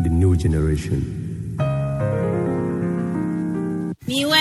The new generation. Miwɔe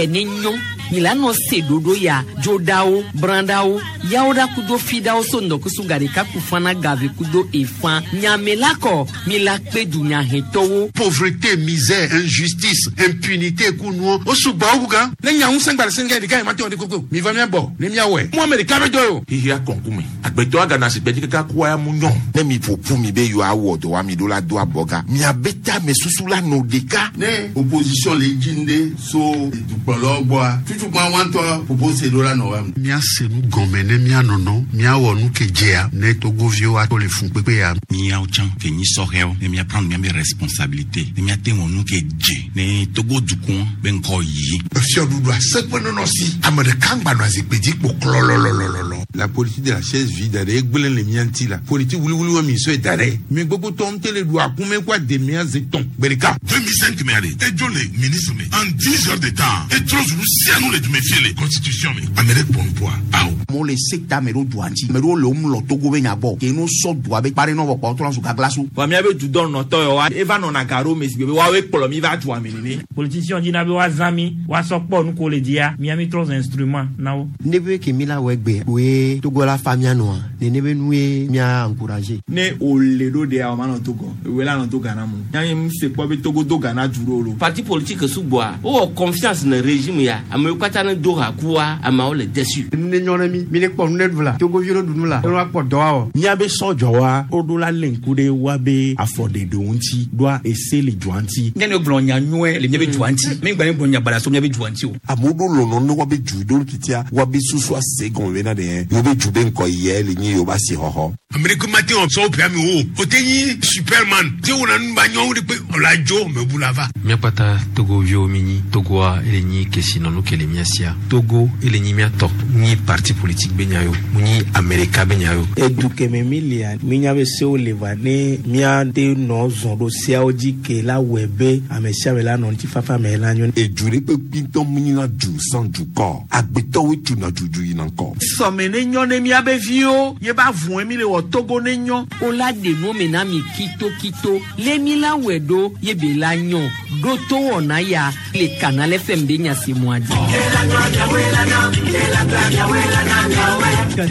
ne nyɔ mi la nɔ se ɖoɖo ya dzoɖawo brãɖawo yawoɖa kudo fiɖawo so ŋdɔkusu gaɖeka kufana gave kudo efã nyame la kɔ mi la kpe dunyahetɔwo. Pauvreté, misère, injustice, impunité kunuwo o sugbɔ wu gan. Ne nya ŋusẽ gba le sɛngɛ ɖeka yi ma te wɔ ɖe koko mi va mía gbɔ ne mía wɔe. Mu ame ɖeka be dɔ ye o. Xixia kɔnkume agbetɔ agana sigbe dzi kaka kua ya mu nyɔ. Ne mi ƒo ƒu mi be yewoawɔ dɔ wa mi ɖo la do abɔga miabe tame susu la nɔ ɖeka. Ne opposition le dzi ŋɖe so dukplɔlawo gbɔa tutukpa wa ŋutɔ propose ɖo la nɔ wa. Míase nu gɔme ne míanɔnɔ míawɔ nu ke dzea ne togoviwo ato le fun kpekpe ya. Míawo tsã ke nyi sɔhɛwo ne míaprendre míabe responsabilité ne míate wɔ nu ke dze ne Togo dukɔ be ŋkɔ yi. Fiɔɖuɖu aseƒe nɔnɔ si ame ɖeka ŋgba nɔ zikpui dzi kpo klɔlɔlɔlɔlɔ. La politique de la chaise vide ɖe egblẽ le mía ŋuti la politique wuliwuli mi sɔe da ɖe mi gbogbo tɔ ŋutɔ le ɖu akume kó ademea ze tɔn gbe ɖeka. 2005 me ale edzo le ministre me en 10 heures de temps etrɔ zu nu sia nu le dume fie le constitution me ame ɖe kpɔ nuƒoa awo. Amewo le sekta me ɖo dua ŋuti ame ɖewo le wo mlɔ Togo be nya gbɔ ke no sɔ dua be kpa ɖe nɔ vɔ kpɔ trɔ zu gaglasu. Vɔ míabe dudɔnɔtɔ yawoa eva nɔna ga ɖo me si be woawoe kplɔ mi va dua me nene. Politicien dina be woazã mi woasɔ kpɔ nu ko le dzia mía mi trɔ zu instrument na wo. Ne be ke mi la wɔ egbe woe Togo la fa mía nɔa nene be nue mía encourager. Ne wòle ɖo ɖea o ma nɔ Togo ewoe la nɔ to Ghana mu yanyi mu se kpɔ be Togo do Ghana du ɖo lo. Parti politique sugbɔa wowɔ confiance ne régime ya amewo katã ne do ha kua ameawo le déçu. Nu ne nyɔ ne mi mi ne kpɔ nu ne ɖu la Togoviwo ne ɖu nu la ne woakpɔ dɔ awɔ. Míabe sɔdzɔwa woɖo la lé ŋku ɖe woabe afɔɖeɖewo ŋuti ɖoa ese le dua ŋuti. Ne ne gblɔ nya nyuie le míabe dua ŋuti mi gba ne gblɔ nya baɖa so míabe dua ŋuti o. Amewo ɖo lɔlɔ ne woabe du ɖo titia woabe susu ase gɔme bena ɖe yewo be du be ŋkɔ yia le nyi yewo be asixɔxɔ. Ame ɖeke mate wɔ sɔwo ƒea mi o o te nyi superman te wɔna nu ba nyɔwo ɖe kpe ɔla dzo mebu la va. Míakpata Togoviwo mi nyi Togoa ele nyi kesinɔnu ke le mía sia Togo ele nyi míatɔ nyi parti politique be nya yo mu nyi Amerika be nya yo. Edu keme mi lia minya be sewo le va ne míate nɔ zɔn ɖo seawo dzi ke la wɔe be ame sia ame la nɔ ŋutifafa me la nyo. Edu ɖe kpekpe ŋutɔ mu nyina du sans dukɔ agbetɔwoe tuna dudu yina ŋkɔ. Sɔme ne nyɔ ne míabe viwo ye ba vɔe mi le wɔ Togo ne nyɔ. O la ɖe nu me na mi kitokito le mi la wɔe ɖo ye be la nyɔ ɖo to wɔna ya le Canal FM be nya se mua dzi.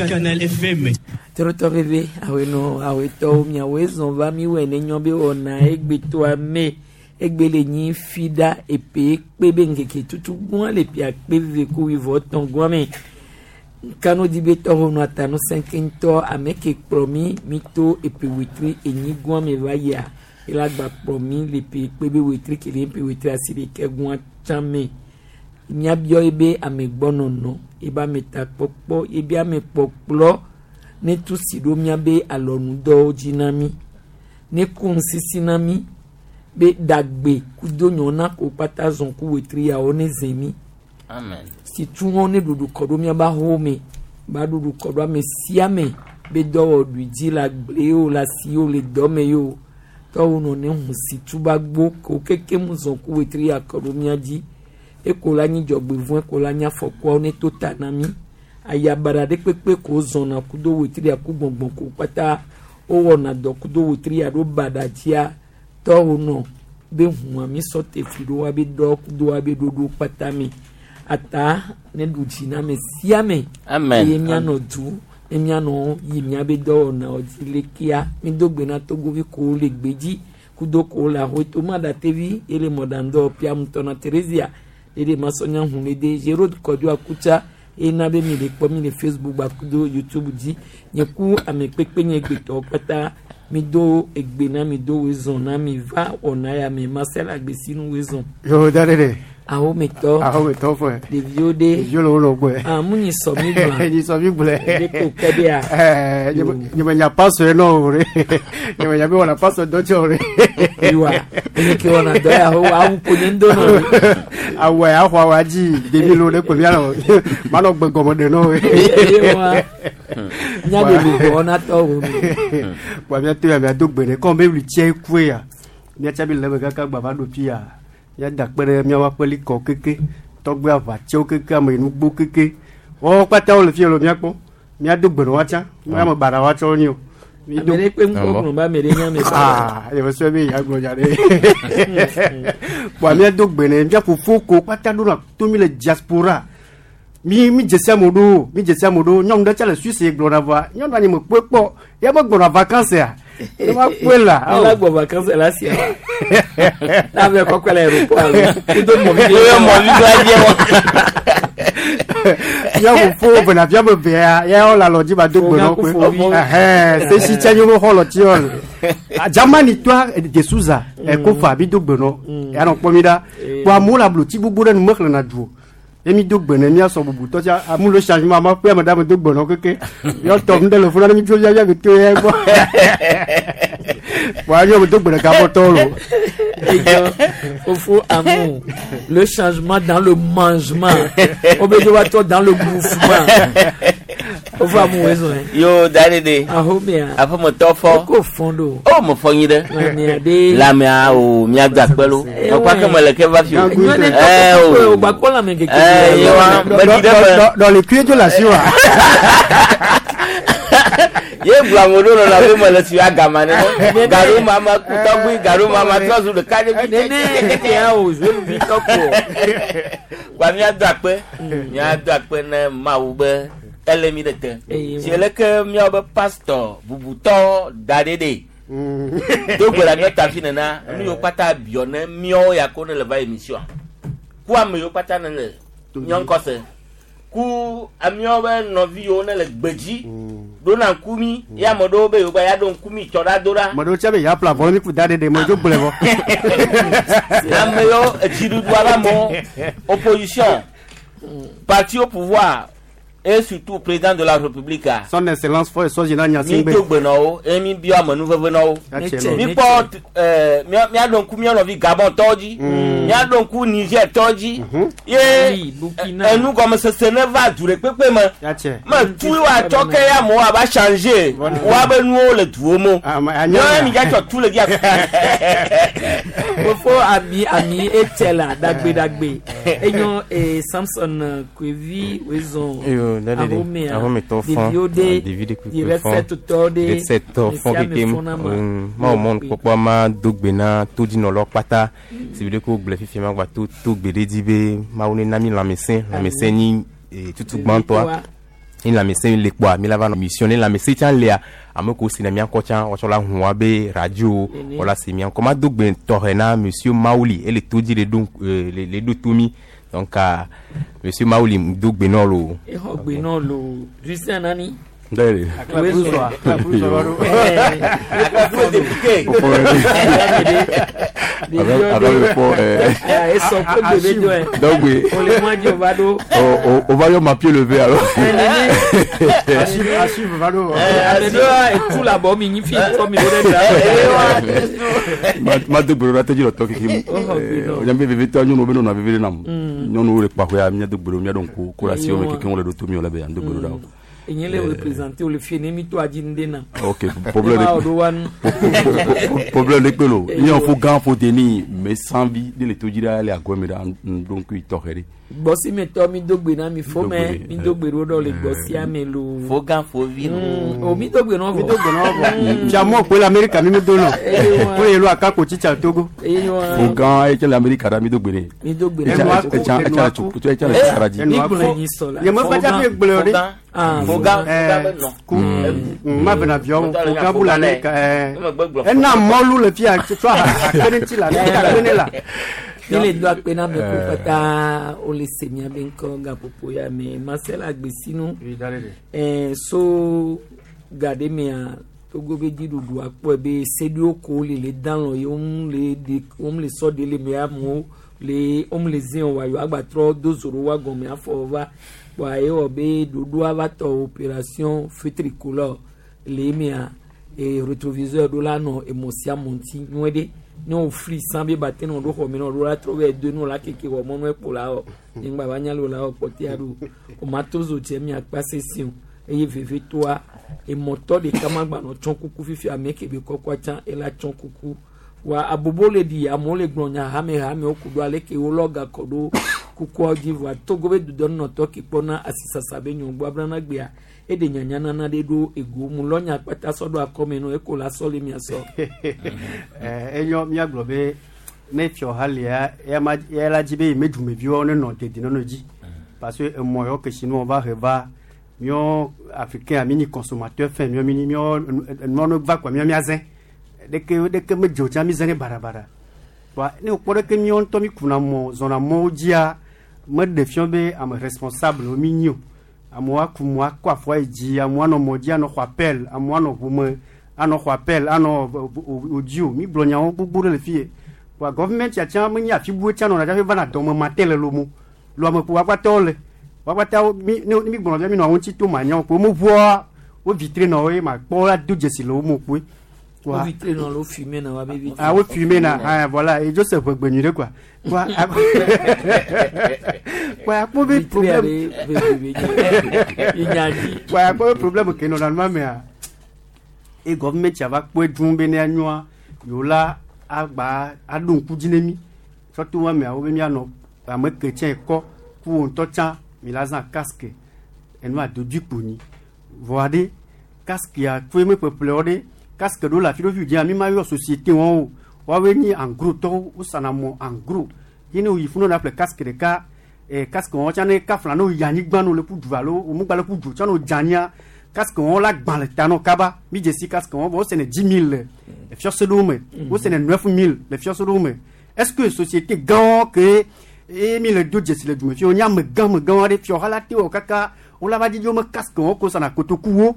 Canal FM. Trɔtɔ veve awenɔ awetɔwo miawoe zɔn va mi wɔ ne nyɔ be wɔna egbetoa me egbe le nyi fi ɖa epe kpe be ŋkeke tutu gbɔn le pia kpe veve ko wivɔ tɔn gbɔn me kanu di be tɔxɔ nu atanu sɛnke ŋutɔ ame ke kplɔ mi mi to epe wetri enyi gbɔn me va yia ela gba kplɔ mi le pe kpe be wetri kele pe wetri asi ɖeke gbɔn tsã me míabiɔ ebe amegbɔnɔnɔ ebe ametakpɔkpɔ ebe amekpɔkplɔ ne tu si ɖo míabe alɔnudɔwo dzi na mi ne ku ŋusisi na mi be ɖagbe kudo nyɔna ko kpata zɔn ku wetri yawo ne ze mi. Amen. Si tu hɔn ne ɖuɖu kɔ ɖo míabe ahowo me ba ɖuɖu kɔ ɖo ame sia ame be dɔwɔɖui dzi le agble yi o le asi yi o le dɔme yi o tɔwo nɔ ne hu si tu ba gbo ko keke mu zɔn ku wetri ya kɔ ɖo mía dzi eko la nyi dzɔgbevɔ̃e ko la nyi afɔkuawo ne to ta na mi ayabaɖa ɖe kpekpe ko zɔna kudo wetri ya ku gbɔngbɔn ko kpata wowɔna dɔ kudo wetri ya ɖo baɖa dzia tɔwo nɔ be hua mi sɔ te fli ɖo wa be dɔ kudo wa be ɖoɖo kpata me ata ne ɖu dzi na ame sia ame. Amen. Eye míanɔ du ne míanɔ yi míabe dɔwɔnawo dzi lekea mi do gbe na togovi kowo le gbedzi kudo kowo le ahoto maɖatevi ele mɔɖaŋdɔ piamutɔ na Theresia eye masɔnya hu le de Gerard Kɔdzo Akutsa ena be mi le kpɔ mi le Facebook gba kudo YouTube dzi nye ku ame kpekpe nye gbetɔwo kpata mi do egbe na mi do wezɔn na mi va wɔna ya me Marcel Agbesinu wezɔn. Yo da de de. Ahometɔ. Ahometɔ fɔ. Ɖeviwo de. Ɖeviwo le wo nɔ gbɔe. Ah mu nyi sɔ mi gblɔ. Nyi sɔ mi gblɔe. Ɖe ko kɛ de ya. Ɛɛ nye me nya pasɔ ye nɔ o re. Nye me nya be wɔna pasɔ dɔ tsɛ o re. Yiwa enye ke wɔna dɔ ya ho awu ko nye ŋdɔ nɔ. Awɔ ya xɔ awa dzi ɖevi lo ɖe ko mia nɔ ma nɔ gbe gɔme ɖe nɔ o. Eye wa nya de lu wɔna tɔ wo. Wa mia to ya mia do gbe ɖe kɔn be wuli tse kue ya mia tsa bi le me kaka gba va ɖo fi ya mia da kpe ɖe miawo aƒelikɔ keke tɔgbe aʋatsewo keke ame nugbo keke wɔwɔ kpata wo le fi lo mia kpɔ Míado gbe na woatsã. Ame baɖa woatsã wonye o. Ame ɖe kpe ŋkɔ gblɔ be ame ɖe nye ame baɖa. Ah, ye me sɔe be yeagblɔ nya ɖe. Kpoa míado gbe ne mía fofo ko kpata ɖona to mí le diaspora. Mi mi dzesi amewo ɖo, mi dzesi amewo ɖo. Nyɔnu ɖe tsa le Suisse gblɔna vɔa, nyɔnua nye me kpɔe kpɔ. Ya me gbɔna vacances a. Ne ma kpɔe la. Ne la gbɔ vacances la sia. Na be kɔkɔe le aéroport alo. Kudo mɔvi ɖe. Kudo mɔvi ɖe dze wɔ. Mía fofo vena via me vea, ya wɔ le alɔ dzi ba do gbe nɔ kpe. Ɛhɛn, sesi tsa nye wo xɔlɔ tsi wɔ le. Germany toa De Souza, Ekofa mi do gbe nɔ. Ya nɔ kpɔ mi ɖa. Kpɔ amewo le ablotsi gbogbo ɖe nu mexlẽna du o. Ye mi do gbe ne míasɔ bubu tɔ tsa amu le changement ama ƒe ame ɖe ame do gbe nɔ keke. Yɔ tɔ nu ɖe le funa ne mi tso via via mi to ya gbɔ. Kpɔ anyo me do gbe ɖeka bɔ tɔwo lo. Fofo amour, le changement dans le mangement, obligatoirement dans le mouvement. Fofo amour, raison. Yo, da ɖe. Ahomea. Aƒemetɔ fɔ. Eko fɔn ɖo. O, me fɔ nyi ɖe. Lamea ɖe. Lamea o, míado akpe lo. Mekpɔ ke mele ke va fi o. Nyɔnu Ɛ o. o gbakɔ lãme keke. Ɛ yewa, meɖi ɖe me. Dɔli kue dzo le asi wa. Ye gblɔ amewo ɖo nɔnɔ be mele si agama nene. Gaɖo mama ku tɔgbui, gaɖo mama trɔ zu ɖeka ɖe vi. Nene ya o zueluvi tɔkpo. Kpa míado akpe, míado akpe ne Mawu be ele mi ɖe te. Si leke míawo be pastor bubutɔ da ɖe ɖe. Do gbe ɖa míata fi nena, nu yiwo kpata biɔ ne míawo ya ko ne le va émission. Ku ame yiwo kpata ne le míawo ŋkɔ se. Ku ameawo be nɔvi yiwo ne le gbedzi ɖona ŋku mi ye ame ɖewo be yewo gba ya ɖo ŋku mi tsɔ ɖa do ɖa. Me ɖewo tse be yeaƒle avɔ ne mi ku da ɖe ɖe me dzo gblɔe vɔ. Ame yiwo edziɖuɖua be amewo opposition parti au pouvoir et surtout président de la république a. Son excellence fɔ esɔ dzi na nya Mi do gbe na wo eye mi biɔ amenuveve na wo. Mi kpɔ ɛɛ míaɖo ŋku mía nɔvi Gabon tɔwo dzi. Míaɖo ŋku Niger tɔwo dzi. Ye enugɔmesese ne va du ɖe kpekpe me. Me tu wa tsɔ ke ya amewo ava changer woabe nuwo le duwo me. Nyɔnu mi dza tsɔ tu le dzi. Fofo ami ami etse la dagbe dagbe. Enyo eh, Samson Kwevi wezɔn. Yo, da de Ahomea. ahometɔ fɔn Ɖeviwo ɖe. ɖevi ɖe kpekpe Direct fɔn set tɔ ɖe. direct tɔ fɔn Mesiame kekem fɔn na ma. mawo mɔnu kpɔkpɔ ma do gbe na todzinɔlɔ kpata si bi ɖe ko gblɔ fifia ma gba to to gbe ɖe dzi be mawu ne na mi lãmesẽ lãmesẽ nyi tutu gbãtɔa ni lãmesẽ le kpɔa mi la va nɔ mission ne lãmesẽ tsã lea ame kewo si na mía ŋkɔ tsã woatsɔ la hu wa be radio Nene. wala si mía ŋkɔ ma do gbe tɔxɛ na monsieur Mawuli ele to dzi le ɖo le le ɖo to mi donc ah, monsieur Mawuli do gbe nɔ lo. Exɔ gbe nɔ lo. Justin Nani. Ndele. Donc, oui. On va y ma pied levé alors. Ma do gbero la tedzi lɔtɔ keke mu. Nyambe veve tɔ nyɔnuwo be nɔnɔ veve ɖe nam. Nyɔnuwo le kpaxɔa mía do gbero mía ɖo ŋku ko la si wo me keke wo le ɖo to mi wo le be ando gbero ɖa o. Enye le représenté le fie ne mi to adzi nu ɖe na. Ok, problème de problème de kpelo. Nye fo gã fo deni me sanvi de le to dzi ɖa le agɔe me ɖa ŋɖo ŋku tɔxɛ ɖe. Gbɔsi me tɔ mi do gbe na mi fo mɛ mi do gbe ɖo ɖɔ le gbɔsia me lo. Fo gã fo vi. O mi do gbe nɔ vɔ. Mi do gbe nɔ vɔ. Fiamɔ koe le Amerika mi mi do nɔ. Ko ye lo akako tsitsa Togo. Fo gã etse le Amerika ɖa mi do gbe ne. Mi do gbe na. Etsa etsa tso etsa le tsara dzi. Mi gblɔ nyi sɔ la. Nye me kpatsa fi gblɔ ɖe. Fo gã fo gã be nɔ. Ku ma bena viawo fo gã bu le Amerika ɛɛ ena mɔlu le fia tsɔ akpe ne ŋuti la ne akpe ne la. Mi le do akpe na ame ko katã wole se miabe ŋkɔ gaƒoƒo ya me Marcel Agbesinu. Ɛɛ so ga ɖe mea Togo be dziɖuɖu akpɔe be seɖiwo ko le le dalɔ ye womu le ɖe womu le sɔ ɖe le me amewo le womu le zi wa yewo agbatrɔ do zo ɖo wa gɔme afɔ va kpoa ye wɔ be ɖoɖoa va tɔ opération feu tricolore le emea e rétroviseur ɖo la nɔ emɔ sia mɔ ŋuti nyuie ɖe ne wo fli san be ba te nɔ ɖo xɔ me nɔ ɖo la trɔ vɛ do nu la keke wɔ mɔnu ekpo la wɔ nyigba va nya le o la wɔ kpɔtɛa ɖo o ma to zo tse mia kpa sesi o eye vevetoa emɔtɔ ɖeka ma gba nɔ tsɔ kuku fifi ame ke be kɔkɔa tsã ela tsɔ kuku wa abobo le ɖi amewo le gblɔ nya hame hamewo ku ɖo aleke wolɔ gakɔ ɖo Kukuawo dzi vɔa Togo be dudɔnunɔtɔ ke kpɔna asisasa be nyɔgbɔ abrana gbea eɖe nyanya nana ɖe ɖo ego mu lɔ nya kpata sɔ ɖo akɔme nɔ eko la sɔ le mia sɔ. Enyo míagblɔ be ne fiɔha lia eya la dzi be yi me dumeviwo ne nɔ dedinɔnɔ dzi parce que emɔ yawo ke si nu va he va míɔ africain mi nyi consommateur fɛn míɔ mi míɔ enua ne va kɔa míɔ míazẽ ɖeke ɖeke me dzo tsã mi zẽ ne baɖabaɖa wa ne wokpɔ ɖeke míɔ ŋutɔ mi kuna mɔ zɔna mɔwo dzia meɖe fiɔ be ame responsable mi nyi o. Amewo aku mɔ akɔ afɔ yi dzi, amewo anɔ mɔ dzi anɔ xɔ appel, amewo anɔ ʋu me anɔ xɔ appel anɔ odzi o. Mi gblɔ nyawo gbogbo ɖe le fi ye. Wa gɔvimɛnt tsã menye afi bu tsã nɔna dzaƒe vana dɔme mate le lomo. Lo ame kpo woakpatawo le. Woakpatawo mi ne mi gblɔ be mi nɔ wo ŋuti to manyawo kpo womeʋua wo vitre nɔ wo ye ma kpɔ la do dzesi le wo mo kpoe. Wo vitre nɔ lo fumer na wa be vitre. Ah, wo fumer na, ah, voilà, et Joseph ʋegbe nyui ɖe quoi. Quoi, quoi, akpɔ be problème. Quoi, akpɔ be problème ke nɔna nua mea. E gɔvimɛnt va kpɔe dũu be ne anyoa, yewo la agba aɖo ŋku dzi ne mi. Tsɔ to wa mea, wo be mianɔ ame ke tsɛ kɔ ku wo ŋutɔ tsã mi la zã casque. Enua dodui kpo nyi. Vɔa ɖe casque ya tsoe me ƒeƒlewo ɖe casque ɖewo le afi ɖewo fi dzia mi ma yɔ société wɔn o. Woawoe nyi en gros tɔwo wosana mɔ en gros. Ye ne woyi funu na ƒle casque ɖeka casque wɔn tsã ne kafla ne woyi anyigba ne wole ƒu du alo womegba le ƒu du tsã ne wodze anyia casque wɔn la gbã le ta nɔ kaba. Mi dze si casque wɔn vɔ wosene 10 000 le fiɔse ɖewo me. Wosene 9000 le fiɔse ɖewo me. Est-ce que société gãwo ke eye mi le do dzesi le dume fi wonye ame gã ame gãwo aɖe fiɔha la te wɔ kaka wola va dzidzi wome casque wɔn ko sana kotokuwo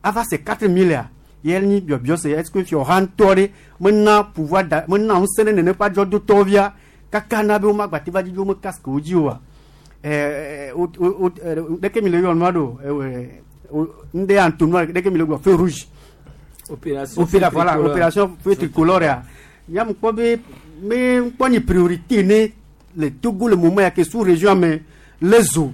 ava se 4000 ya ye nyi biɔbiɔ se est-ce que fiɔha ŋutɔ ɖe mena pouvoir da mena ŋusẽ ɖe nene ƒe adzɔdotɔwo via kaka na be womagba te va dzidzi wome casque wo dzi oa? Ɛɛ o o ɖeke mi le yɔ nua ɖo ŋɖe ya ŋto nua ɖeke mi le gblɔ feu rouge. Opération. Opéra, voilà, opération feu tricolore ya nyam kpɔ be me kpɔ nyi priorité ne le Togo le moment ya ke sous région me le zo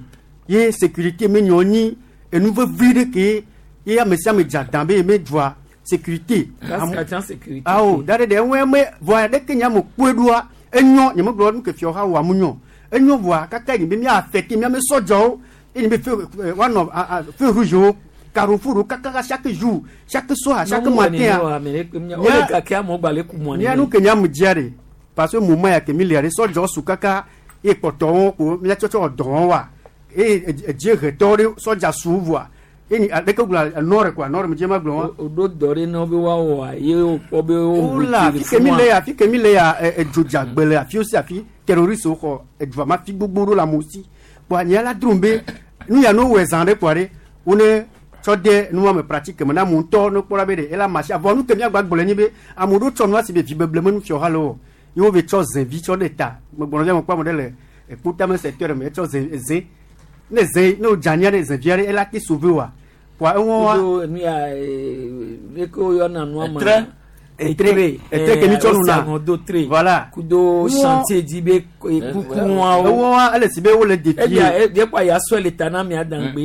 ye sécurité me nyɔ nyi enu vevi ɖe ke ye ame sia ame dza dan be me dzɔa sécurité. Sécurité. Awo da ɖe ɖe eŋue me vɔa ɖeke nya me kpɔe ɖoa enyɔ nye me gblɔ nu ke fiɔ ha wɔ amu nyɔ enyo vɔa kaka yi be mía affecté mía me sɔdzɔwo eye be feu woanɔ feu rouge wo carrefour wo kaka chaque jour, chaque soir, chaque matin. Mía nu ke nya me dzia ɖe parce que moment ya ke mi lia ɖe sɔdzɔ su kaka ye kpɔtɔwo ko míatsɔtsɔ dɔ wɔm wa eye dziehetɔwo ɖe sɔdza su vɔa eye aleke gblɔ nord quoi, nord me dzi ma gblɔ wa. O ɖo dɔ ɖe na wo be woawɔa ye wokpɔ be wo. Wala afi ke mi le ya, afi ke mi le ya, edzodza le afi si afi terroriste wo xɔ edua ma fi gbogbo ɖo le amewo si kpoa nye la drom be nu ya no wɔe zã ɖe kpoa ɖe wo ne tsɔ de nua me pratique me na amewo ŋutɔ ne kpɔra be ɖe ela marché avɔ nu ke miagba gblɔ nyi be amewo ɖo tsɔ nua si be vi beble me nu fiɔ ha le o ye wo be tsɔ zẽvi tsɔ ɖe ta megblɔ be ame kpɔ ame ɖe le ekpotame secteur me etsɔ zẽ zẽ ne zẽ ne wodze anyia ɖe zẽvia ɖe ela te sauver wa kpoa eŋɔ wa. Kudo nu ya leke woyɔna nua ma. Etre, etre ke mi tsɔ nuna. Do tre. Voilà. Kudo chantier dzi be kukuawo. Ewɔ wa ele si be wole défier. Ebia ebia kpa ya sɔe le ta na mia dangbe.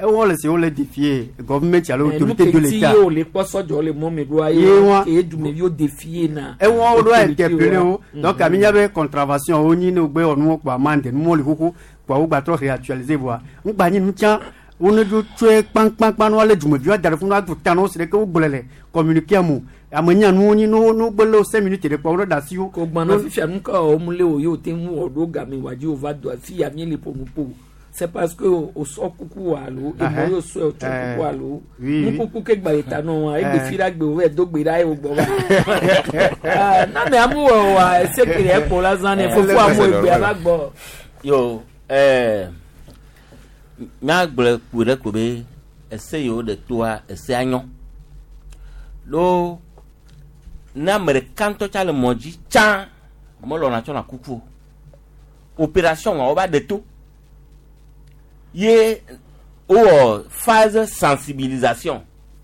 Ewɔ le si wole défier gouvernement alo autorité de l'état. Nu ke ti ye wòle kpɔ sɔdzɔ le mɔ me ɖoa ye wa ke dumeviwo défier na. Ewɔ wo ɖo interpeller wo donc ami nya be contravention wo nyi ne wo gbe wɔ nuwo kpɔ amende nuwo li xoxo kpɔ wo gbatrɔ réactualiser voa ŋgba nyi nu tsã wo ne dzo tsoe kpankpankpan ne woalé dumeviwo ada ɖe funu ado ta na wo si ɖeke wo gblɔ le communiqué mo ame nya nuwo nyi no no gbe le wo 5 minutes ɖe kpɔ wo ɖe ɖe asi wo. Ko gbana fifia nu ka wɔm le o ye o te ŋu wɔ ɖo game wa dzi o va do afi ya mi le ƒo nu ƒo c'est parce que o sɔ kuku wa alo emɔ yóò sɔ o tsɔ kuku alo nukuku ke gba le ta nɔ wa egbe fi ɖa gbe o vɛ do gbe ɖa ye o gbɔ va na me amu wɔ wa ese ke le ekpo la zã ne fofo amu egbe ava gbɔ. Yo míagblɔ kpui ɖe ko be ese yiwo ɖe toa esea nyɔ ɖo ne ame ɖeka ŋutɔ tsa le mɔ dzi tsã melɔna tsɔna kuku o. Opération wa wova ɖe to ye wowɔ phase sensibilisation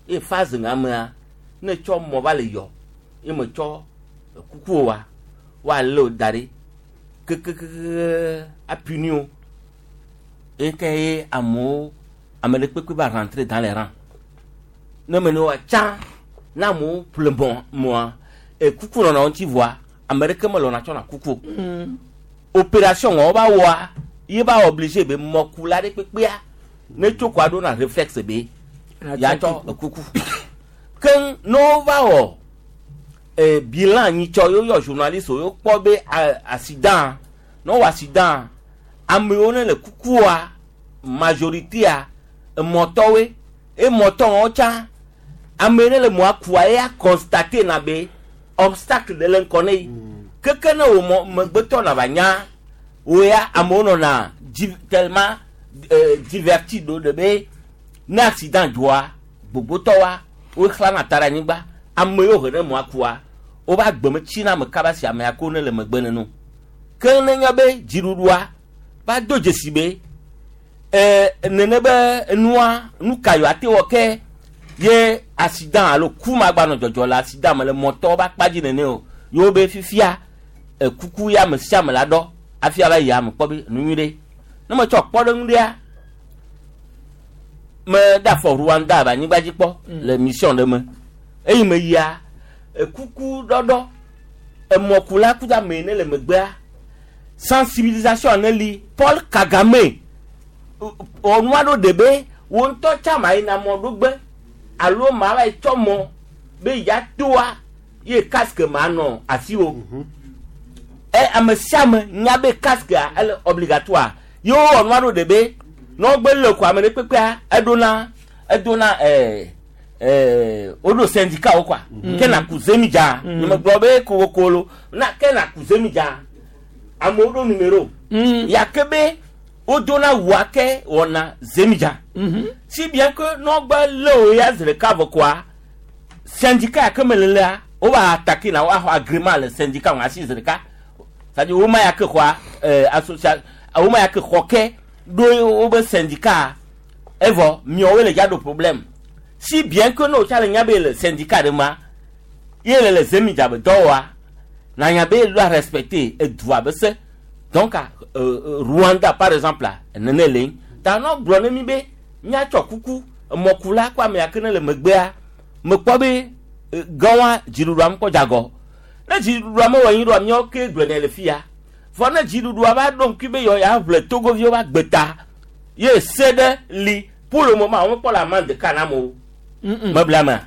ye phase ŋa mea ne tsɔ mɔ va le yɔ ye me tsɔ kuku o wa woalé wo da ɖi kekekeke apuni wo eye ke ye amewo ame ɖe kpekpe va rentrer dans les rangs ne me ne wa tsã na amewo ƒle mɔ mɔa ekuku nɔna wo ŋuti vɔa ame ɖeke melɔna tsɔna kuku o. Opération wɔn va wɔa ye va obligé be mɔkula ɖe kpekpea ne tso kɔa ɖo na réflexe be yatsɔ ekuku. Keŋ ne wova wɔ eh, bilan nyitsɔ ye woyɔ journaliste wo kpɔ be accident ne wowɔ accident amewo ne le kukua majoritéa emɔtɔwoe emɔtɔ wɔn tsã ame ne le mɔa kua eya constate na be obstacle ɖe le ŋkɔ ne yi keke ne wò mɔ megbetɔ na va nya wo ya amewo nɔna di tellement diverti ɖo ɖe be ne accident dzɔa gbogbotɔwoa woxlana ta ɖe anyigba ame yiwo he ɖe mɔa kua woƒe agbe metsina ame kaba si amea ko ne le megbe neno ke ne nye be dziɖuɖua va do dzesi be nene be nua nu ka yewoate ate wɔ ke ye accident alo ku ma gba nɔ dzɔdzɔ le accident me le mɔtɔwo ƒe akpa dzi nene o yewo be fifia ekuku ya ame sia ame la ɖɔ hafi ava yi ame kpɔ be nu nyui ɖe ne metsɔ kpɔɖeŋu ɖea me ɖe afɔ Rwanda be anyigba dzi kpɔ le mission ɖe me eyi me yia ekuku ɖɔɖɔ emɔkula kudo ame yi ne le megbea sensibilisation ne li Paul Kagame ɔnua ɖo ɖe be wo ŋutɔ tsã ma yina mɔ ɖogbe alo ma va yi tsɔ mɔ be ya toa ye casque ma nɔ asiwò e ame sia ame nya be casquea ele obligatoire ye wowɔ nua ɖo ɖe be ne wogbe le ko ame ɖe kpekpea eɖona edona ɛɛ ɛɛ woɖo syndicat wo kɔa ke na ku zemidza nye megblɔ be kowokolo na ke na ku zemidza amewo ɖo numéro ya ke be wodona wua ke wɔna zemidza si bien que ne wogbe le wo ya zi ɖeka vɔ koa syndicat ya ke me le lea wova attaquer na woaxɔ agrément le syndicat ŋu asi zi ɖeka c'est-à-dire woma ya ke xɔa association woma ya ke xɔ ke ɖo wobe syndicat evɔ miawoe le dza ɖo problème si bien que ne wotsa le nya be le syndicat ɖe ma ye le le zemidza be dɔ wɔa na nya be doit respecter edua be se donc Rwanda par exemple la nene le ta nɔ gblɔ ne mi be míatsɔ kuku emɔkula kó ame ya ke ne le megbea mekpɔ be gãwa dziɖuɖua mekpɔ dzagɔ ne dziɖuɖua mewɔ anyi ɖoa míawo ke gblɔ nɛ le fia vɔ ne dziɖuɖua va ɖo ŋkui be yɔ ya ʋle togoviwo va gbeta ye se ɖe li pour le moment womekpɔ le amande ka na amewo mebla mea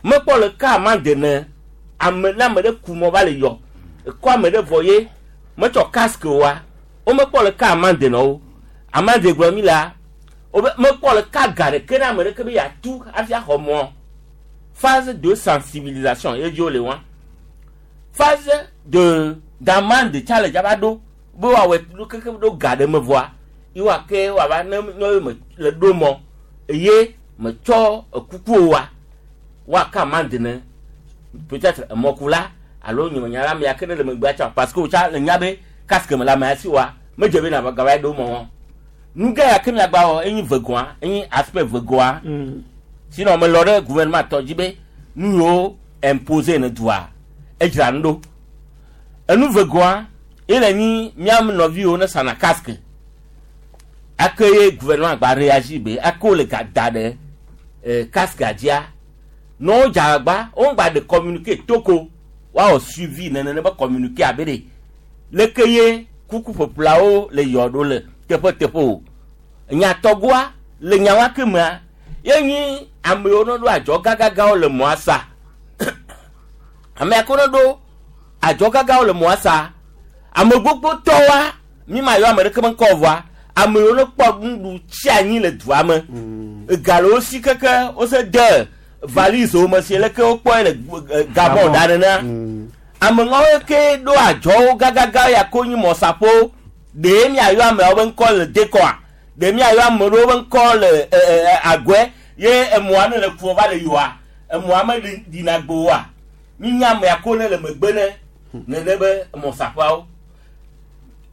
mekpɔ le ka amande ne ame ne ame ɖe ku mɔ va le yɔ ekɔ ame ɖe vɔ ye metsɔ casque oa womekpɔ le ka amande na wo amande gblɔ mi la wobe mekpɔ le ka ga ɖeke na ame ɖeke be yeatu hafi axɔ mɔ phase de sensibilisation ye dzi wole wa phase de d'amende tsa le dzava ɖo be woawɔe ɖo keke ɖo ga ɖe me vɔa ye woake woava ne nyɔ me le ɖo mɔ eye metsɔ ekuku wa woaka amande ne peut-être emɔkula alo nyemenya la ame ya ke ne le megbea tsã parce que wotsa le nya be casque me le amea si wa medze be na gava ɖo mɔ wɔn nu gã ya ke miagba wɔ enyi vegoa enyi aspect vegoa sinon melɔ ɖe gouvernement tɔ dzi be nu yiwo imposer ne dua edzra nu ɖo enu vegoa ye le nyi mía nɔviwo ne sana casque ake ye gouvernement gba réagir be ake wole ga da ɖe casquea dzia ne wodze agbagba womgba ɖe communiqué toko woawɔ suivi nene be communiqué abe ɖe leke ye kuku ƒeƒleawo le yɔ ɖo le teƒe teƒe o nyatɔgoa le nyawa ke mea ye nyi ame yiwo ne ɖo adzɔ gãgãgãwo le mɔa sa ame yakewo ne ɖo adzɔ gãgãwo le mɔa sa ame gbogbo tɔwoa mi ma yɔ ame ɖeke be ŋkɔ vɔa ame yiwo ne kpɔ nuɖu tsi anyi le dua me ega le wo si keke wose de valise wo me si leke wokpɔe le Gabon da nenea ame ŋawo ke ɖo adzɔwo gãgãgã ya ko nyi mɔsaƒo ɖe miayɔ ameawo be ŋkɔ le dekɔa ɖe miayɔ ame ɖewo be ŋkɔ le agɔe ye emɔa ne le kuɔ va le yɔa emɔa me ɖina gbowoa mi nya amea ko ne le megbe ne nene be mɔsaƒeawo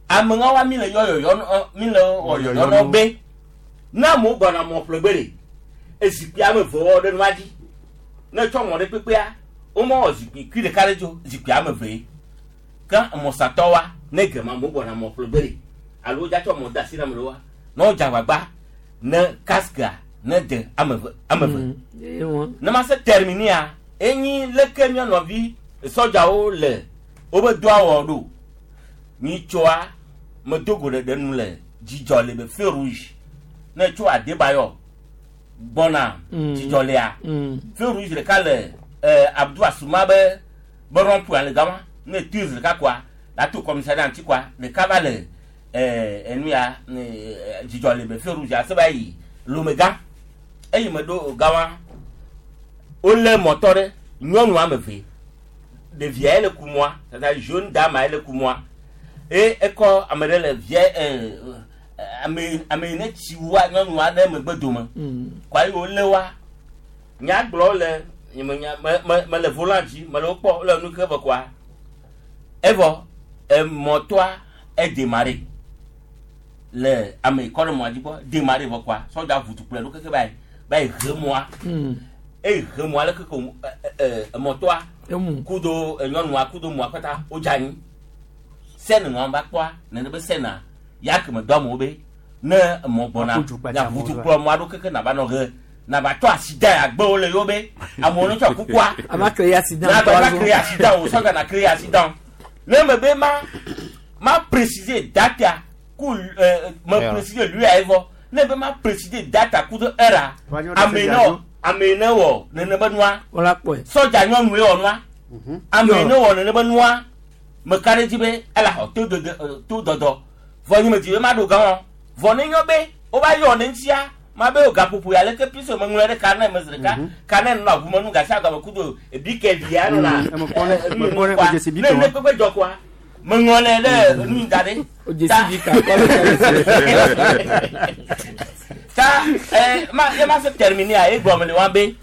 ame ŋawoa mi le yɔ yɔyɔ mi le wɔ yɔyɔ nɔ be ne amewo gbɔna mɔ ƒle gbe ɖe ezikpui ame eve wɔ ɖe nua dzi ne tsɔ mɔ ɖe kpekpea womewɔ zikpui kui ɖeka ɖe dzo zikpui ame eve ke mɔsatɔwoa ne gema amewo gbɔna mɔ ƒle gbe ɖe alo wodza tsɔ mɔ de asi na ame ɖewoa ne wodze agbagba ne casquea ne de ame eve ame eve ne ma se terminea enyi leke mía nɔvi sɔdzawo le wobe dɔa wɔ ɖo nyitsɔa. Medo go ɖeɖe nu le dzidzɔ le be feu rouge. Ne tso Adebayɔ gbɔna dzidzɔ lea. Feu rouge ɖeka le Abdou Asuma be be rond-point le gama. Ne tuive ɖeka koa, la to commissariat ŋuti koa, ɖeka va le enu ya dzidzɔ le be feu rouge ase va yi Lomega. Eyi me ɖo gama, wolé mɔtɔ ɖe nyɔnu ame eve. Ɖevia ye le kumɔa, tata jeune dame ye le kumɔa. Eye ekɔ ame ɖe le via ame ame yi ne tsi wua nyɔnua ɖe megbe dome. Kɔa yi wolé wa. Nya gblɔ le nye me nya me me me le volant dzi me le wo kpɔ wole nu ke vɔ kɔa. Evɔ emɔtɔa edemare le ame yi kɔ ɖe mɔa dzi gbɔ demare vɔ kɔa sɔdza ʋu tukplɔe ɖo keke va yi va yi he mɔa. Eye he mɔa le keke emɔtɔa kudo nyɔnua kudo mɔa kpata wodze anyi. Sɛn ŋɔ va kpɔa nene be sɛna ya ke me dɔ amewo be ne emɔ gbɔna na ʋu tukplɔ mɔa ɖo keke nava nɔ he nava tɔ accident agbewo le yewo be amewo ne tsɔ kukua. Ava créer accident. Na va créer accident o sɔdza na créer accident. Ne me be ma ma préciser date ku me préciser lui a evɔ ne be ma préciser date ku de heure ame ne ame ne wɔ nene be nua sɔdza nyɔnue wɔ nua ame ne wɔ nene be nua me ka ɖe dzi be ele xɔ to dede to dɔdɔ vɔ nye me dzi be ma ɖo gã wɔ vɔ ne nyɔ be wova yɔ ne ŋutia ma be o gaƒoƒo ya leke puisque me ŋlɔe ɖe carnet me zi ɖeka carnet nɔna ʋume nu gasia game kudo ebi ke via nɔna ne ne kpekpe dzɔ koa me ŋlɔnɛ ɖe nu da ɖe ta ma ye ma se terminer a ye gblɔ me le wa be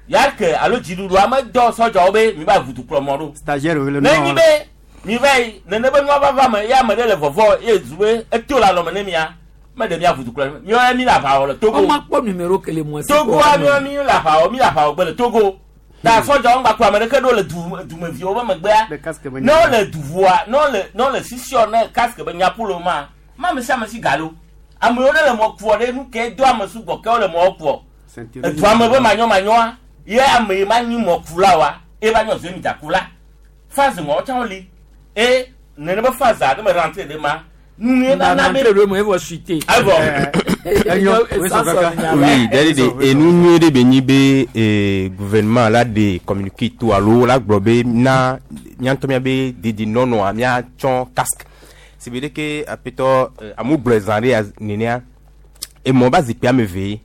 ya ke alo dziɖuɖua me dɔ sɔdzawo be mi va ʋutu kplɔ mɔ ɖo stagiaire wo le ne nyi be mi va yi nene be nua vava me ye ame ɖe le vɔvɔ ye zu be eto le alɔme ne mia me ɖe mia ʋutu kplɔ mi wa mi le aʋa wɔ le Togo. Ɔma kpɔ numéro kele mɔ si Togoa mi wa mi le aʋa wɔ mi le aʋa wɔ gbe le Togo. Ta sɔdzawo ŋgba kplɔ ame ɖeke ɖo le du dumeviwo be megbea. Ne wole duʋua ne wole ne wole sisiɔ ne casque be nyaƒulo ma ma ame sia ame si ga lo. Amewo ɖe le mɔ kuɔ ɖe nu ke do ame sugbɔ ke wole mɔ kuɔ. Edua me be manyɔmanyɔa ye ame yi ma nyi mɔkula wa ye va nyɔ zemidza kula. Phase ŋɔ tsã woli e nene be phase a ne me rentré ɖe ma nu ye na na be. Rentré ɖe me evɔ suite. Evɔ. Oui, d'ailleurs de enu nyuie ɖe be nyi be gouvernement la de communiqué to alo la gblɔ be na míantɔ míabe dedinɔnɔa míatsɔ casque. Si be ɖeke aƒetɔ amewo gblɔe zã ɖe ya nenea emɔ ba zikpui ame eve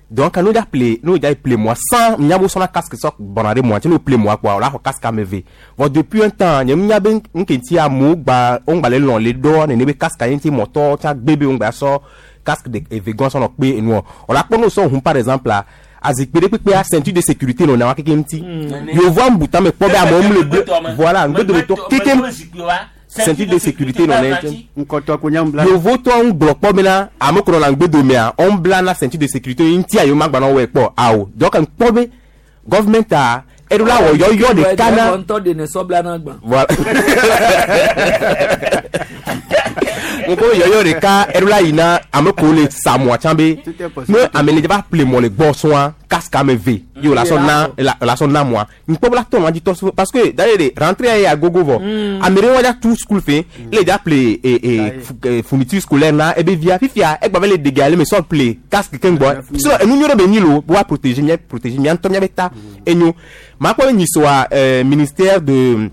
donc n'o da ple n'o da ple moi sans miabo sɔna casque sɔ gbɔna ɖe mɔa ti n'o ple moi kpoa o la xɔ casque ame eve vɔ depuis un temps nye nya be nke ŋuti amewo gba wo ŋgba le lɔn le ɖɔ nene be casque ye ŋuti mɔtɔ tsa gbe be wo ŋgba sɔ casque de eve gɔn sɔ nɔ kpe enuɔ o la kpɔ n'o sɔ hun par exemple la azikpui ɖe kpekpea ceinture de sécurité nɔ na wa keke ŋuti yevoa ŋbu tame kpɔ be amewo mu le gbe voilà ŋgbedometɔ keke ceinture de sécurité nɔ ne nkɔtɔ ko nya bla yovotɔ ŋu gblɔ kpɔ bena ame kplɔ la ŋgbedomea wo bla na ceinture de sécurité ŋuti a yewo ma gba nɔ wɔe kpɔ awo donc ŋkpɔ be government a eɖo la wɔ yɔyɔ ɖeka na ŋutɔ de ne sɔ bla na gbã. Voilà ŋkɔ yɔyɔ ɖeka eɖo la yina ame kewo le sa mɔa tsã be ne ame le va ƒle mɔ le gbɔ sɔa casque ame eve ye wòle asɔ na la sɔ na mɔa ŋkpɔ be la tɔ nua dzi tɔ so parce que d'ailleurs de rentrée ya gogo vɔ ame ɖe wa dza tu school fe ele dza ƒle fourniture scolaire na ebe via fifia egba be le dege ale me sɔ ƒle casque keŋ gbɔ so enu nyuie ɖe be nyi lo wa protéger mía protéger mía ŋutɔ mía be ta enyo makpɔ be nyisoa ministère de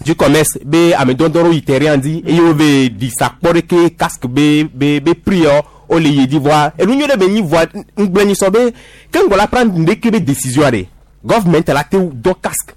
du commerce be ame dɔdɔ ɖewo yi terrain dzi eye wo be ɖi sa kpɔ ɖeke casque be be be prix yɔ wo le yi dzi vɔa enu nyuie ɖe be nyi vɔa ŋgblẽ nyi sɔ be ke ŋgɔ la prendre ɖeke be décision ɖe government la te dɔ casque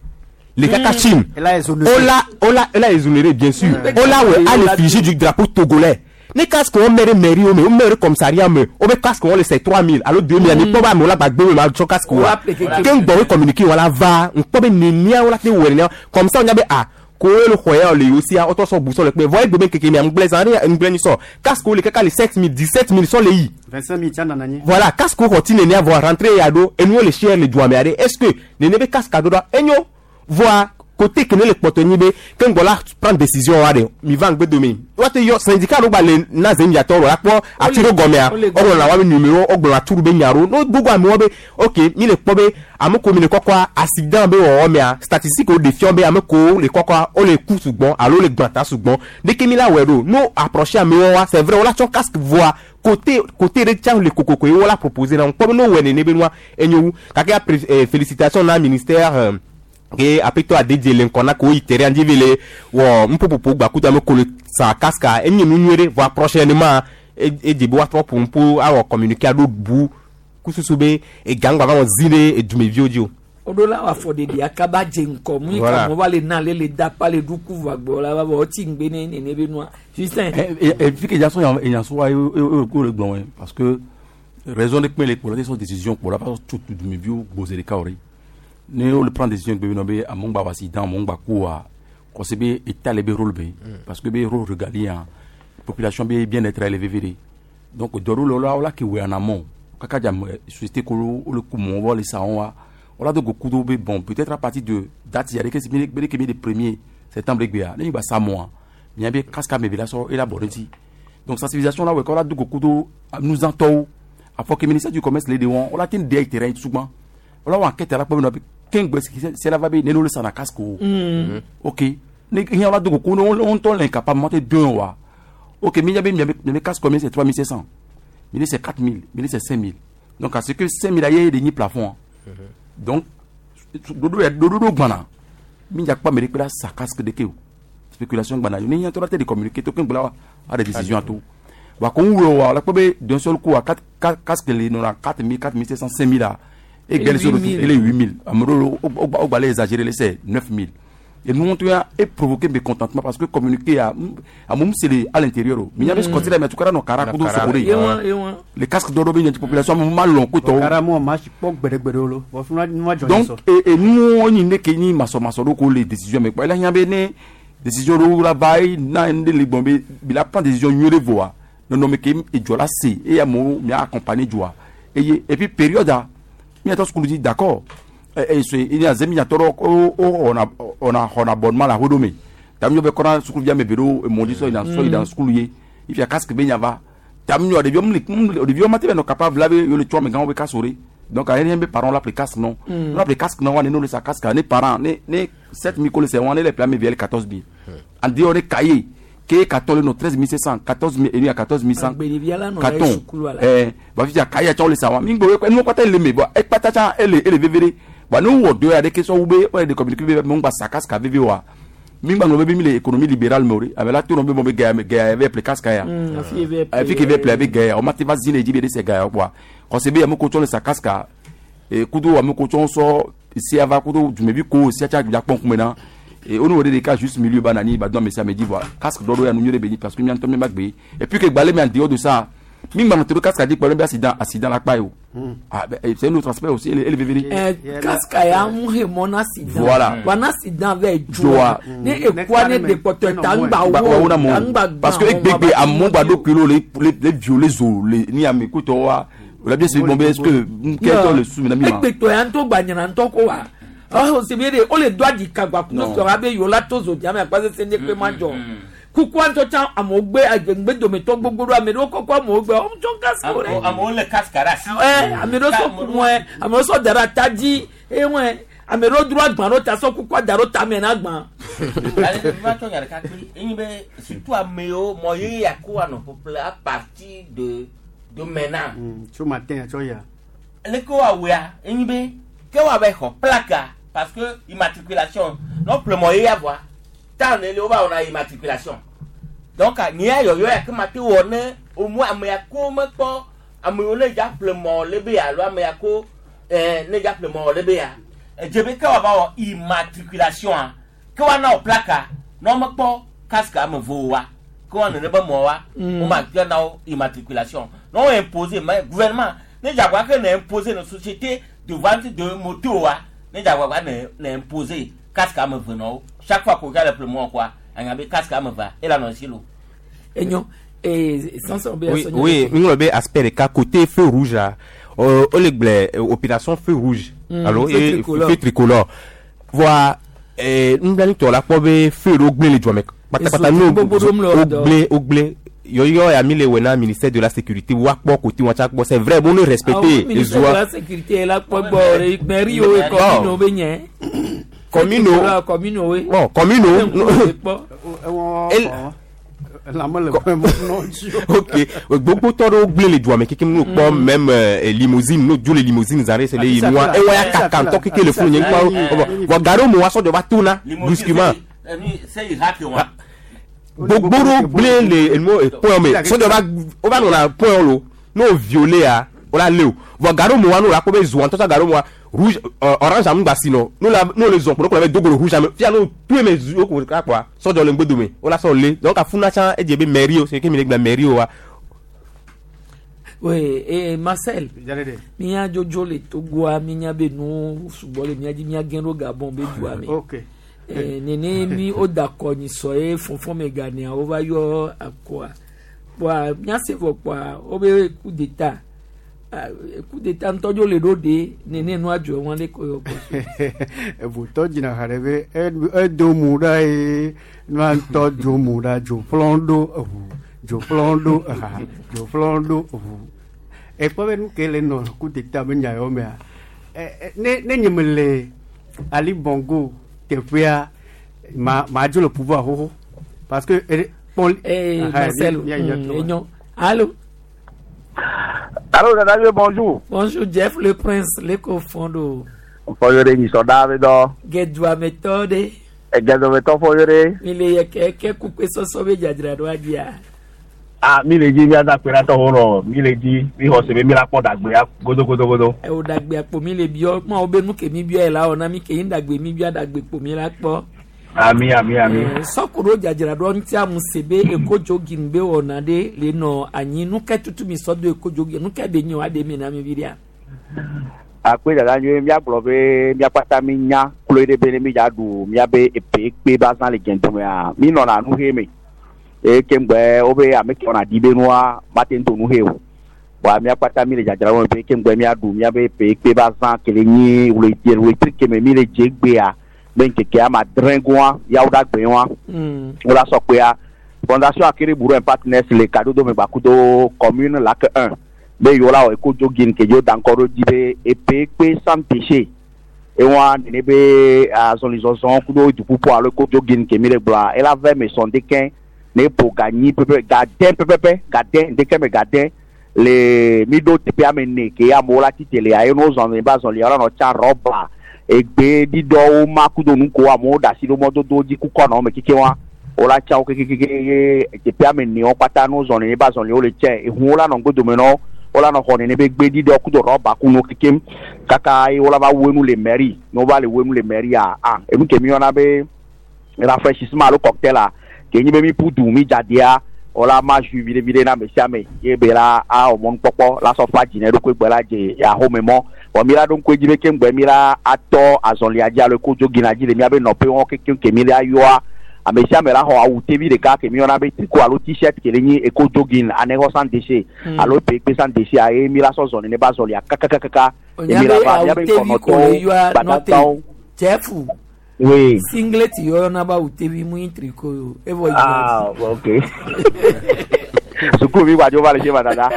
le kaka Chine ola ola ola exonéré bien sûr ola wɛ à l'effigie du drapeau togolais ne casque wɔn mɛ ɖe mairie wo me wo mɛ ɖe commissariat me wo be casque wɔn le c'est 3000 alo 2000 ani kpɔ be amewo la gbagbe me ma tsɔ casque wa ke ŋgbɔ wo communiqué wa la va ŋkpɔ be nenia wo la te wɔ nenia comme ça wo nya be ah ko wo le xɔ ya le yewo sia wotɔ sɔ bu sɔ le kpe vɔ egbe be keke mia ŋgblẽ zã ɖe ŋgblẽ nyi sɔ casque wo le kaka le 7000 17000 sɔ le yi. 25000 tsa nana nyi. Voilà casque wo xɔ ti nenia vɔ rentrée ya ɖo enuwo le cher le dua me aɖe est ce que nene be casque aɖo ɖa enyo voa Côté ke ne le kpɔtɔ nyi be ke ŋgbɔ la prendre décision wa de mi va ŋgbe dome woate yɔ syndicat ɖo gba le na zemiatɔ ɖo la kpɔ ati ɖo gɔmea wogblɔna wa be numéro wogblɔna turu be nya ɖo no gbogbo amewo be ok mi le kpɔ be ame ko mi le kɔkɔa accident be wɔwɔ mea statistique wo ɖe fiɔ be ame ko le kɔkɔa wole ku sugbɔn alo le gbãta sugbɔn ɖeke mi la wɔe ɖo no approcher amewo wa c'est vrai wola tsɔ casque voa côté côté ɖe tsã le kokoko ye wola proposer na wo kpɔ be no wɔe nene be nua enyo wu gake apre félicitation na ministère ke aƒetɔ adedie le ŋkɔ na ko yi terrain dzi vi le wɔ nuƒoƒoƒo gbakudo ame ko le sa casque enye nu nyuie ɖe vɔa prochainement edze be woatrɔ ƒo nuƒo awɔ communiqué aɖo bu kususu be ega ŋgba va wɔ zi ɖe edumeviwo dzi o. Woɖo la wɔ afɔɖeɖi akaba dze ŋkɔ mu yi Voilà. ka mo va le na le le da pa le ɖu ku vɔ agbɔ la va vɔ wotsi ŋgbe ne nene be nua Justin. Et puis que Jason et Jason wa yo le gbɔn parce que raison de kpɛn le kpɔ la sɔ décision kpɔ la parce que tout tout mi viwo gbose de kaori ne o le prend décision gbe be amewo gba accident amewo gba ku wa kɔsi be état le be rôle be parce que be rôle régalien population be bien-être élevé vv donc dɔw le la o la ke wɛ en amont kaka dza société ko o le ku mɔ wɔ le sa wɔn wa o la do go kudo be bon peut-être à partir de date yɛrɛ ke mi be ke mi de premier septembre gbea ne mi gba sa mɔa mia be casque ame bi la sɔ e la bɔ ne ti donc sensibilisation la wɛ kɔ la do go kudo nuzãtɔwo afɔ ke ministère du commerce le de wɔn o la te de terrain sugban o la wɔ enquête la kpɔ be nɔ be kengbe c'est la va be ne n'o le sa na casque o ok ne hiã la do go kudo o ŋutɔ le incapable mɔ te dɔn wa ok mi be mi be casque combien c'est 3500 mi c'est 4000 mi c'est 5000 donc à ce que 5000 aye de nyi plafond donc dodo ya dodo do gbana mi dza kpɔ ame ɖe kpe la sa casque ɖeke o spéculation gbana ne hiã tɔ la te de communiquer to keŋ gblɔ wa a de décision ato wa ko ń wɔ wa la kpɔ be d'un seul coup a quatre casque le nɔna 4000 4500 5000 la e gbɛlɛ so ele 8000 ame ɖewo o gba le exagéré le c'est 9000 et nous on a et provoqué mécontentement parce que communiquer à à mon c'est à l'intérieur mais il y avait ce côté là mais tout cas non cara kudo sokore les casques d'or bien population mal long ko cara mo ma si po gbere gbere lo bo fún wa jọ donc et nous on ni ke ni maso maso do ko les décisions mais quoi là il y avait ne décision do la vai na ndé le bon be il a prend décision mieux de voir non non mais ke e jola c'est et ya mo mi accompagner joa et et puis période a mi attend ce qu'on dit d'accord il y a zemi tɔrɔ o on a on abonnement la hodome tam yo be kɔna sukulu via me bero mondi so ina so ina sukulu ye if ya casque be nyava tam yo de biom le de biom mate no capable la be yo le chwa me gan be kasore donc a rien be parents la casque non la casque non on ne sa casque ne parents ne ne 7000 ko le c'est on les plan me viel 14000 en dit on est cahier ke 14 no 13700 14000 et 14100 carton eh ba fi ya cahier tso le sa wa mi gbo no kwata le me bo e pata cha ele ele vevere wa ne wɔ do ya ɖe ke sɔ wu be ɔyɛ de communiqué be mo ŋgba sa casque veve wa mi gba ŋlɔ be mi le économie libérale me o de ame la to nɔ be mo be gaya gaya vɛ ple casque ya afi ke vɛ ple abe gaya o ma te va zi le dzi be de se gaya kpoa kɔsi be ame ko tsɔ le sa casque e kudo ame ko tsɔ sɔ sia va kudo dumevi ko sia tsa dza kpɔn kume na et on aurait des cas juste milieu banani ba donc mais ça me dit voilà casque d'or ya nu nyore be parce que mi antɔ mi ma gbe et puis que gbalé mi en dehors de ça mi gba nɔtɔ casque a di kpɔlɔ be accident accident la kpa ye o ah ben c'est un autre aspect aussi ele ele vevere. Casque ya ń he mɔ na accident. Voilà. Wa na accident vɛ joa. Ne ekua ne dekpɔtɔ ta ń gba wo ta ń gba parce que egbegbe amewo gba ɖo kilo le le violé zo le ni ame kutɔ wa o la bien se bon est-ce que kɛtɔ le su mi na mi ma. Egbetɔ ya ŋutɔ gba nyina ŋutɔ ko wa ɔhún sibi de o le do adi kagba kunu sɔrɔ abe yola to zo diame akpasese ne kpe ma jɔ kukua ŋutɔ tsã amewo gbe agbegbe dometɔ gbogbo ɖo ame ɖewo kɔkɔ amewo gbe wɔn tsɔ casque rɛ. Amewo le casque ɖe asi. Ɛ ame ɖewo sɔ kumɔɛ ame ɖewo sɔ da ɖe ata dzi eye wɔe ame ɖewo dro agbã ɖo ta sɔ kukua da ɖo tame na agbã. Ale va tsɔ nya ɖeka kple enyi be surtout amewo mɔ yeye ya ko anɔ ƒoƒle à partir de de maintenant. Tso matin tsɔ ya. Leke woawɔa enyi be ke woava xɔ plaque parce que immatriculation n'o ƒle mɔ yeye voa ta ne le wova wɔna immatriculation donc nye ya yɔyɔ ya ke ma te wɔ ne au moins ame ya ko mekpɔ ame yiwo ne dza ƒle mɔ le be alo ame ya ko ne dza ƒle mɔ le be ya edze be ke woava wɔ immatriculation a ke woana wɔ plaque ne womekpɔ casque ame eve wa ke woanɔ ne be mɔ wa woma te na wo immatriculation ne wo imposer mais gouvernement ne dza gba ke ne imposer ne société de vente de moto wa ne dza gba ne ne imposer casque ame eve nɔ wo chaque fois qu'on regarde le mɔ quoi anya be casque ame evea ele anɔ si lo. Enyo sanson be Oui, oui, mi ŋlɔ be aspect ɖeka côté feu rouge la o le gblẽ opération feu rouge alo feu tricolore. Feu tricolore voa Nublanitɔ la kpɔ be feu ɖewo gblẽ le dua me kpatakpata. Ezo gbogbo ɖom le wo dɔ. Wogblẽ, wogblẽ yɔyɔ ya mi le wɔ na ministère de la sécurité woakpɔ côté wọn tsa kpɔ, c'est vrai, bon, ne respecter Awo ministère de ezoa. la sécurité la kpɔ gbɔ re mairie wo commune wo be nye. Commune wo. Commune wo. Bon, commune wo. Ok, gbogbo tɔ ɖewo gblẽ le dua me kekem n'o kpɔ même limousine n'o dzo le limousine zã ɖe se le yi nua ewa ya kaka ŋutɔ keke le funu nye ŋkpɔ vɔ gaɖewo me wa sɔdzɔ va tona brusquement. Gbogbo ɖewo gblẽ le enuwo point me, sɔdzɔ va wova nɔna point lo n'o violé ya o la lé o vɔ gaɖewo me wa n'o la kpɔ be zoa ŋutɔ gaɖewo me wa rouge orange amu gba si nɔ n'o la n'o le zɔn kpɔ n'o kplɔ be dogo le rouge ame fia n'o to eme zu o ko ka kpɔa sɔdzɔ le ŋgbedome o la sɔ lé, donc afuna tsã edze be mairie o se ke mi le gblɔ mairie o wa. Oui, et Marcel, mia jojo le Togoa, mi nya be nu sugbɔ le mia dzi, mia gɛn ɖo Gabon be dua me. Ok. Eh, nene mi o da akɔ nyi sɔ ye fɔnfɔn me ganea wo va yɔ akɔa. Kpɔa mia se vɔ kpɔa wo be coup d'état. Ah, coup d'état ŋutɔ dzo le ɖo de nene nua dzɔ wɔn le ko yɔ kɔ. Evotɔ dzina ha ɖe be edo mu ɖa ye nua ŋutɔ dzo mu ɖa dzo ƒlɔ ɖo eʋu dzo ƒlɔ ɖo eha dzo ƒlɔ ɖo eʋu ekpɔ be nu ke le nɔ coup d'état be nya yawo mea ne nye me le Ali Bongo teƒea ma ma dzo le pouvoir xoxo parce que kpɔ. Eh, Aha, Marcel, enyo. Allô? Allô, Nana, bonjour. Bonjour, Jeff le Prince, le kofondo. Fɔyore nyisɔ be dɔ. Gɛduametɔ ɖe. Gɛduametɔ fɔyore. Mi le yɛ kɛ kɛ kukpe sɔsɔ be dzadzra ɖo adzia. Ah, mi le dzi miada kpe ɖa tɔwo nɔ mi le dzi mi xɔ se be mi la kpɔ dagbea godogodogodo. Ewo dagbe akpo mi le biɔ ma wo be nu ke mi biɔ yi la wɔ na mi ke yin dagbe mi biɔ dagbe kpo mi la kpɔ. Ami, ami, ami. Sɔku ɖo dzadzra ɖo ŋuti amu se be ekodzo gin be wɔna ɖe le nɔ anyi nu ke tutu mi sɔ do ekodzo gin nu ke be nyo aɖe mi na mi vi ɖia. Akpe dada nyuie, miagblɔ be miakpata mi nya kloe ɖe be ne mi dza ɖu miabe epe kpe ba zã le gɛndomea mi nɔna nu he me eye ke ŋgbɛ wobe ame ke wɔna ɖi be nua mate ŋu do nu he o wa miakpata mi le dzadzra wɔm be ke ŋgbɛ miaɖu miabe epe kpe ba zã ke le nyi wleti wletri keme mi le dze gbea be ŋkeke ama adrẽ goa yawo ɖa gbe wa wo la sɔ kpea Fondation Akere Bourou and Partners le kadodo me gbakudo commune Lac 1 be yewo la wɔ ekodzo gin ke dzo da ŋkɔ ɖo dzi be epe kpe sans déchet ewa nene be azɔlizɔzɔ kudo duƒuƒu alo ekodzo gin ke mi le gblɔa ela vɛ me sɔn dekɛ ne ƒo ganyi pɛpɛ gadɛn pɛpɛpɛ gadɛn dekɛ me gadɛn le mi ɖo teƒe ame ene ke amewo la tite le ye no zɔn ne ba zɔli yɔrɔ nɔ tsa rɔba egbe ɖiɖɔwo ma kudo nu ko amewo ɖe asi ɖo mɔdodo dzi kukɔ nɔ me keke wa wola tsa wo kekekeke ye teƒe ame ene wo kpata no zɔn ne ba zɔli wo le tsɛ ehuwo la nɔ ŋgodome nɔ wola nɔ xɔ nene be gbe ɖiɖɔ kudo rɔba kunu kekem kaka ye wola va wenu le mairie ne wova le wenu le mairie a ah enu ke mi yɔna be rafraîchissement alo cocktail a ke nyi be mi ƒu du mi dzadia wola ma jus viɖe viɖe na ame sia ame ye be la awɔ mɔnukpɔkpɔ la sɔ fa dzi ne eɖokui gbe la dze ahome mɔ vɔ mi la ɖo ŋku edzi be ke ŋgbɛ mi la atɔ azɔlia dzi alo kodzo gina dzi le miabe nɔƒe wɔn kekem ke mi la yɔa ame sia ame la xɔ awu tevi ɖeka ke mi yɔna be tricot alo t-shirt ke le nyi ekodzo gin anexɔ sans déchet alo pekpe sans déchet a ye mi la sɔ zɔ nene ba zɔlia kakakakaka ye Onya mi la be va awu miabe tevi ko le ŋkɔnɔtɔwo yɔa nɔte gbadagbawo. Jeff. Oui. Singlet yɔyɔ na ba awu tevi mu yin tricot yo evɔ yi. Ah, ok. Sukuu mi gbadzo va le se ma dada.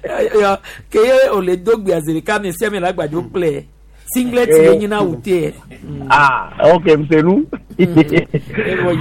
Yɔ ke ye o le do gbe azeɖeka ame sia ame la gbadzo kplɛ singlet ye nyina awu te. Ah, ok, msenu.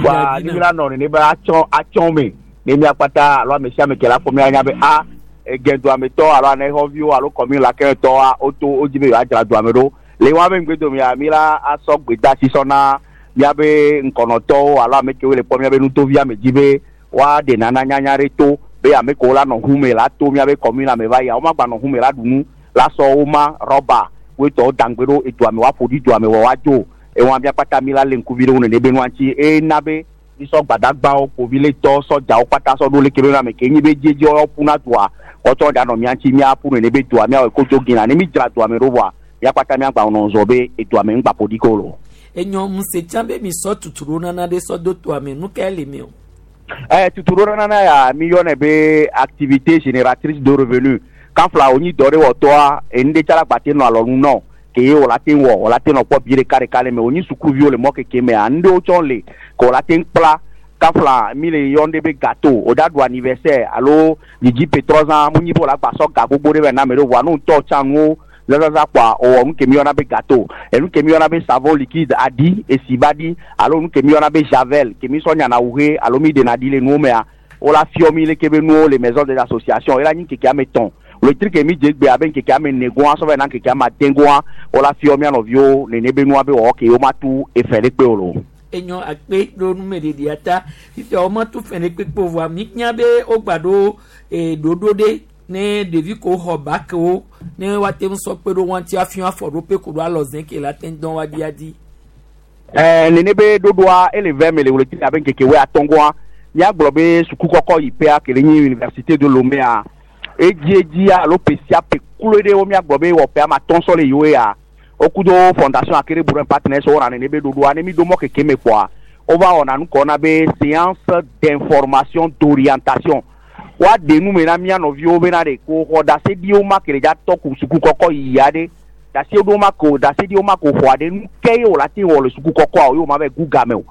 Wa ni mi la nɔ nene be atsɔ atsɔ me ne miakpata alo ame sia ame ke la fɔ mia nya be a egɛduametɔ alo anexɔviwo alo kɔmi la kɛntɔa woto wodzi be yewoadzra duame ɖo le wa be ŋgbedome mi la asɔ gbedasi sɔ na miabe ŋkɔnɔtɔwo alo ame kewo le kpɔ miabe nutovi ame dzi be woaɖe nana nyanya ɖe to be ame kewo la nɔ ʋu me la to miabe kɔmuna me va yia womagba nɔ ʋu me la ɖu nu la sɔ wo ma rɔba woetɔwo dangbe ɖo eduame woaƒo ɖi duame wɔ woadzo ewɔn miakpata mi la le ŋkuvi ɖe wo nene be nua ŋuti ena be misɔ gbadagbawo kpoviletɔ sɔdzawo kpata sɔ ɖo leke be ame ke nyi be dzedze woawo ƒuna dua wɔtsɔ ɖe anɔ mia ŋuti miaƒu nene be dua miawɔ kodzo gina ne mi dzra dua me ɖo vɔa miakpata miagba nɔ zɔ be edua me ŋgba ƒo ɖi ko lo. Enyɔ ŋusẽ be mi sɔ tuturo nana ɖe sɔ do toa me nu ka le mi o. Tuturo nana ya mi yɔnɛ be activité génératrice de revenu kan fila o nyi dɔ ɖe wɔtɔa enu ɖe tsala gbate nɔ alɔnu nɔ. Ke ye wòla te wɔ wòla te nɔ kpɔ bi ɖeka ɖeka le me wònyi sukuviwo le mɔ keke mea nu ɖewo tsɔ le ke wòla te kpla kafla mi le yɔ ɖe be gâteau o da ɖu anniversaire alo dzidzi petrɔzã mu nyi be wòla gbasɔ ga gbogbo ɖe va na ame ɖewo voa ne ŋutɔ tsã nuwo zazaza kpoa wòwɔ nu ke mi yɔna be gâteau enu ke mi yɔna be savon liquide aɖi esi ba ɖi alo nu ke mi yɔna be javel ke mi sɔ nyana awu he alo mi ɖena ɖi le nuwo mea wola fiɔ mi leke be nuwo le maison des associations ela nyi ŋkeke ame tɔn wletri ke mi dze gbe abe ŋkeke ame ene goa sɔ va yina ŋkeke ame ade goa wola fiɔ mia nɔviwo nene be nua be wɔwɔ ke yewo ma tu efe ɖe kpe o lo. Enyɔ akpe ɖo numeɖeɖia ta fifia womatu fɛn ɖe kpekpe o vɔa mi nya be wogba ɖo e, ɖoɖo ɖe ne ɖevi ko xɔ bakewo ne woate ŋu sɔ kpe ɖo wɔn ti afiɔ afɔ ɖo pe ko ɖo alɔ zẽ ke la te dɔn wa di adi. Ɛɛ nene be ɖoɖoa ele vɛ me le wletri abe ŋkeke woe atɔ̃ goa míagblɔ be suku kɔkɔ yi ƒea ke le nyi université de Lomé edzi edzia alo ƒe sia ƒe kloe ɖe wo míagblɔ be wɔ ƒe ame atɔ̃ sɔ le yiwo ya wokudo fondation Akere Bourrin partenaires wɔna nene be ɖoɖoa ne mi ɖo mɔ keke me kpoa wova wɔna nu kɔ na be séance d'information d'orientation woaɖe nu me na mía nɔviwo bena ɖe ko xɔ ɖaseɖiwo ma ke le dza tɔ ku suku kɔkɔ yiyi aɖe ɖaseɖiwo ma ko ɖaseɖiwo ma ko xɔ aɖe nu ke ye wòle te wɔ le suku kɔkɔa o ye wò ma va gu game o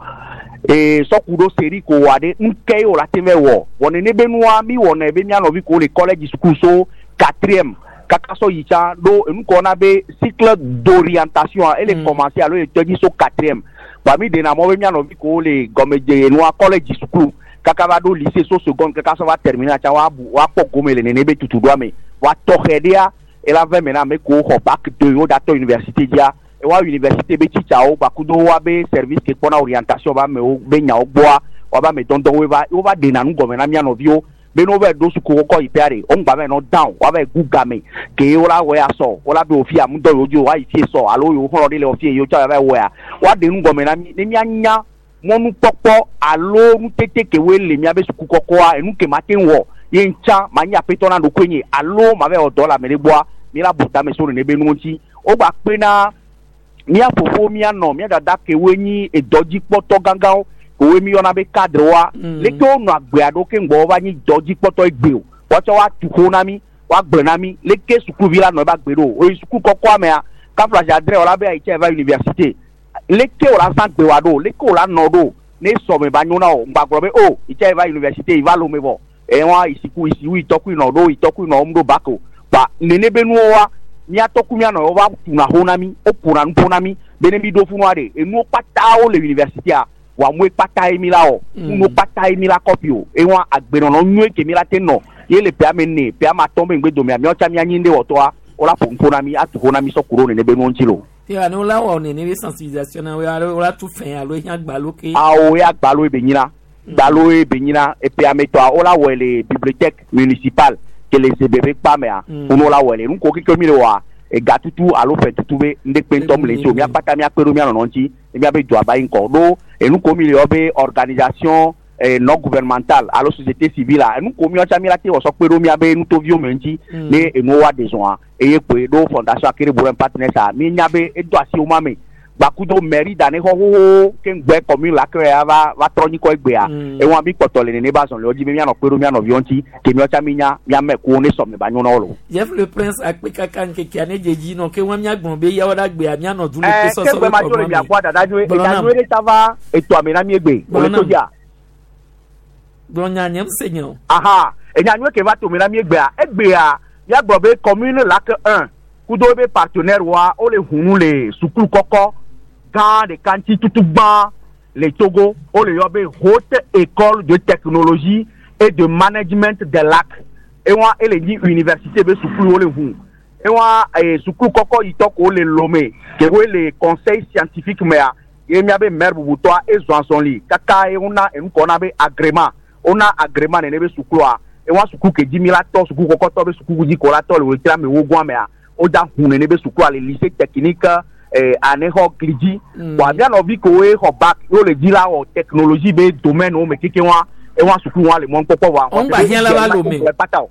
ee sɔku ɖo seri ko wɔ aɖe nu ke ye wòle te va wɔ wɔ nene be nua mi wɔnɛ be mía nɔvi ko le collège suku so quatrième kaka sɔ yi tsã ɖo enu kɔ na be cycle d'orientation ele commencer alo ele tɔ dzi so quatrième ba mi ɖena mɔ be mía nɔvi ko le gɔmedze nua collège suku kaka va ɖo lycée so seconde kaka sɔ va terminer tsã woabu woakpɔ gome le nene be tutuɖoa me wa tɔxɛ ɖea ela vɛ me na ame kewo xɔ bac 2 wo ɖatɔ université dzia wa université be tsitsawo gbakudo wa be service ke kpɔna orientation ba amewo be nyawo gbɔa wa be ame dɔndɔnwoe va wova ɖena nu gɔme na mía nɔviwo be ne wova ɖo suku kɔkɔ yi ƒea ɖe wo ŋgba va nɔ down wa va gu game ke wola wɔe asɔ wola be wòfia ŋudɔ yewo dzi woayi fie sɔ alo yewo xɔlɔ ɖe le wɔ fie yewo tsɔ va wɔea woaɖe nu gɔme na mi ne míanya mɔnukpɔkpɔ alo nutete kewoe le míabe suku kɔkɔa enu ke ma te ŋu wɔ ye ŋtsã ma nyi aƒetɔ na ɖokoe nye alo ma va wɔ dɔ le ame ɖe gbɔa mi la bu tame so nene be nuwo ŋuti wogba kpe na mía fofo mía nɔ mía dada kewoe nyi edɔdzikpɔtɔ gãgãwo kewoe mi yɔna be cadre woa leke wonɔ agbea ɖo ke ŋgbɔ wova nyi dɔdzikpɔtɔ egbe o woatsɔ woatu xo na mi woagblẽ na mi leke sukuvi la nɔ ebe agbe ɖo oyi suku kɔkɔa mea kafla adre wòla be ayi tse va université leke wòla zã gbe wa ɖo leke wòla nɔ ɖo ne sɔme ba nyo na o ŋgba gblɔ be o itse va université yi va lome vɔ ewa isiku isiwu itɔkui nɔ ɖo itɔkui nɔ wɔm ɖo bac o ba nene be nuwo wa míatɔku mía nɔ wova tuna xo na mi woƒona nu ƒo na mi be ne mi ɖo funua ɖe enuwo kpata wo le université wa mue kpata ye mi la wɔ nuwo kpata ye mi la kɔpi o ewa agbenɔnɔ nyuie ke mi la te nɔ ye le ƒe ame ene ƒe ame atɔ̃ be ŋgbe domea míawo tsã míanyi ɖe wɔtɔa wola ƒo nu ƒo na mi atu xo na mi sɔ ku ɖo nene be nuwo ŋuti lo. Te alo la wɔ nene be sensibilisation na wo alo la tu fɛn alo ehiã gbalo ke. Awo ya gbalo ye be nyina gbalo ye be nyina eƒe ame tɔa wola wɔe le bibliothèque municipale ke le zebe be kpa mea wo la wɔe le nu ko keke mi le wɔa egatutu alo fɛtutu be ŋɖekpe ŋutɔ mu le ŋuti o míakpata míakpe ɖo mía nɔnɔ ŋuti míabe dua ba yi ŋkɔ ɖo enu ko mi le yɔ be organisation non gouvernementale alo société civile a enu ko míawo tsã mi la te wɔ sɔ kpe ɖo míabe nutoviwo me ŋuti ne enuwo wa de zɔa eye kpoe ɖo fondation Akere Bourrin partenaires a mi nya be edo asi wo ma me gbakudo mairie da ne xɔ xoxo ke ŋgbɛ commune la ke ya va va trɔ nyikɔ egbea ewa mi kpɔtɔ le nene ba zɔn le wo dzi be míanɔ kpe ɖo mía nɔviwo ŋuti ke míawo tsã mi nya míame kuwo ne sɔme ba nyo na wo lo. Jeff le Prince akpe kaka ŋkekea ne dze dzi nɔ ke wɔn míagblɔ be yawo ɖe agbea míanɔ du le ke sɔsɔ ke gbe ma tso le mia gbɔ dada nyuie enya nyuie ɖe ta va etoa me na mi egbe wòle to dzia. Gblɔ nya nye se nye o. Aha enya nyuie ke va to me na mi egbea egbea míagblɔ be commune Lac 1 kudo be partenaire wa wole hunu le sukulu kɔkɔ gã ɖeka ŋuti tutu gbã le Togo wole yɔ be haute école de technologie et de management des lacs ewa ele nyi université be sukulu wole hu ewa sukulu kɔkɔ yitɔ ko le Lomé ke wo le conseil scientifique mea ye miabe maire bubutɔa ezɔ azɔli kaka ye wona enu kɔ na be agrément wona agrément nene be sukulua ewa suku ke dzi mi la tɔ suku kɔkɔtɔ be suku dzi ko la tɔ le wòle ame wo gɔn mea wodza hu nene be sukua le lycée technique anexɔ gli dzi bɔn mía nɔvi kowoe xɔ bac ye wole dzi la wɔ technologie be domaine wo me keke wa ewa suku wa le mɔ kpɔkpɔ wa. Ŋgba hiã la va Lomé. Kpata o.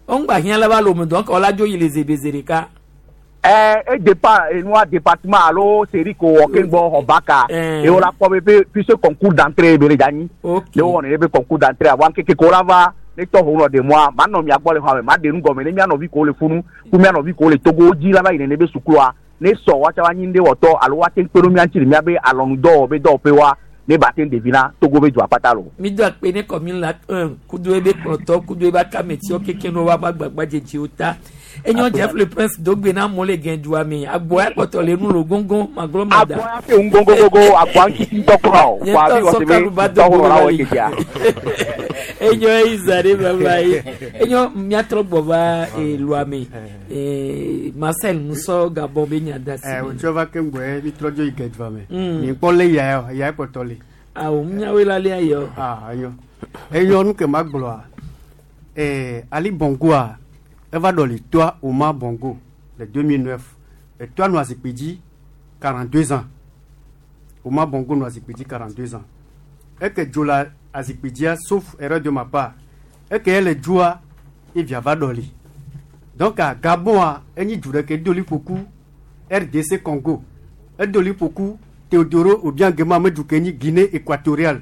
Ŋgba hiã la va Lomé donc ɔla dzo yi le zebe ze ɖeka. E dépend enua département alo série ko wɔ ke gbɔ xɔ bac a ye wola kpɔ be puisque concours d'entrée be le dza nyi ne wowɔ nene be concours d'entrée a wa ŋkeke ko la va Ne tɔ ho nɔ de moa, ma nɔ mia gbɔ le xɔa me, ma de nu gɔme ne mia nɔvi ko le funu, ku mia nɔvi ko le Togo dzi la va yi nene be sukua. Ne sɔ woatsa va nyi ŋɖe wɔtɔ alo woate ŋu kpe ɖo mia ŋuti le miabe alɔnudɔwɔ be dɔwɔƒe wa ne ba te ŋu ɖevi na Togo be dua kpata lo. Mi do akpe ne commune la kudo ebe kplɔtɔ kudo ebe akametiwo keke ne woava gbagba dzedziwo ta. Enyo Jeff le Prince dogbe na amewo le gɛdua me. Agboa kpɔtɔ le nu lo goŋgoŋ magblɔ mada. Agboa te ŋu goŋgoŋgoŋ agboa ŋuti ŋutɔ kura o. Nye Vɔa ŋutɔ mi wɔ sɔ se be kalu va do tɔxɔ go la va wɔ yi. dzedzia. Enyo eyi zã ɖe vava ye. Enyo miatrɔ gbɔ va elua me. Marcel Musɔ Gabon be nya da si. Wotsɔ va ke ŋgbɔe mi trɔ dzo yi gɛdua me. Mi kpɔ le ya yɔ, ya kpɔtɔ le. Awo miawoe la lia yɔ. Ah, enyo. Enyo nu ke ma gblɔa. Ali Bongoa, eva ɖɔli toa Omar Bongo le 2009. Etoa nɔ azikpui dzi 42 ans. Omar Bongo nɔ azikpui dzi 42 ans. Eke dzo le azikpui dzia sauf erreur de ma part. Eke ele dzoa, evia va ɖɔli. Donc à Gabon, enyi du ɖeke do liƒo ku RDC Congo. Edo liƒo ku Teodoro Obiang Nguema me du ke nyi Guinée équatoriale.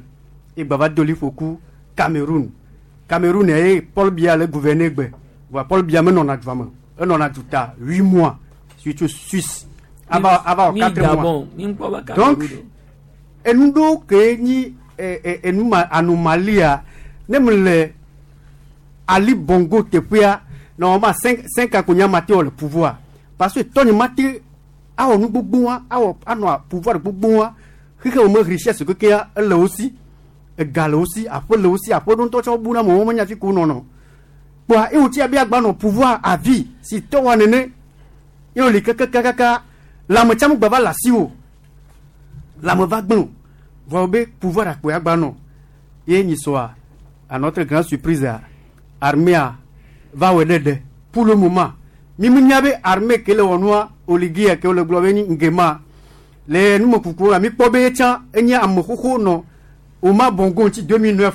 Egba va do liƒo ku Cameroun. Cameroun ye Paul Biya le gouverner gbe. Voa Paul Biya menɔna dua me. Enɔna duta 8 mois surtout Suisse. Ava ava wɔ Mi 4 mois. Gabon, mi ŋkpɔ va Donc Cameroun. enu ɖewo ke nyi enu ma anomalia ne me le Ali Bongo teƒea normalement 5 ans ko nya ma te wɔ le pouvoir parce que tɔnye ma te awɔ nu gbogbo wa awɔ anɔ pouvoir gbogbo wa xexe wo me richesse kekea ele wo si ega le wo si aƒe le wo si aƒe ɖo ŋutɔ tsɔ bu na amewo menya fi ko nɔnɔ kpoa eye wòtsi abe agba nɔ pouvoir à vie si tɔ wa nene eye wòli kakakaka lãmetsãmu gba va le asiwò lãme va gblẽ o vɔ be pouvoir akpoe agba nɔ ye nyi sɔa à notre grande surprise a armée va wɔ ɖe ɖe pour le moment mi mi nya be armée ke le wɔ nua oligie ke wole gblɔ be nyi ngema le numekuku la mi kpɔ be etsã enye ame xoxo nɔ Omar Bongo ŋuti 2009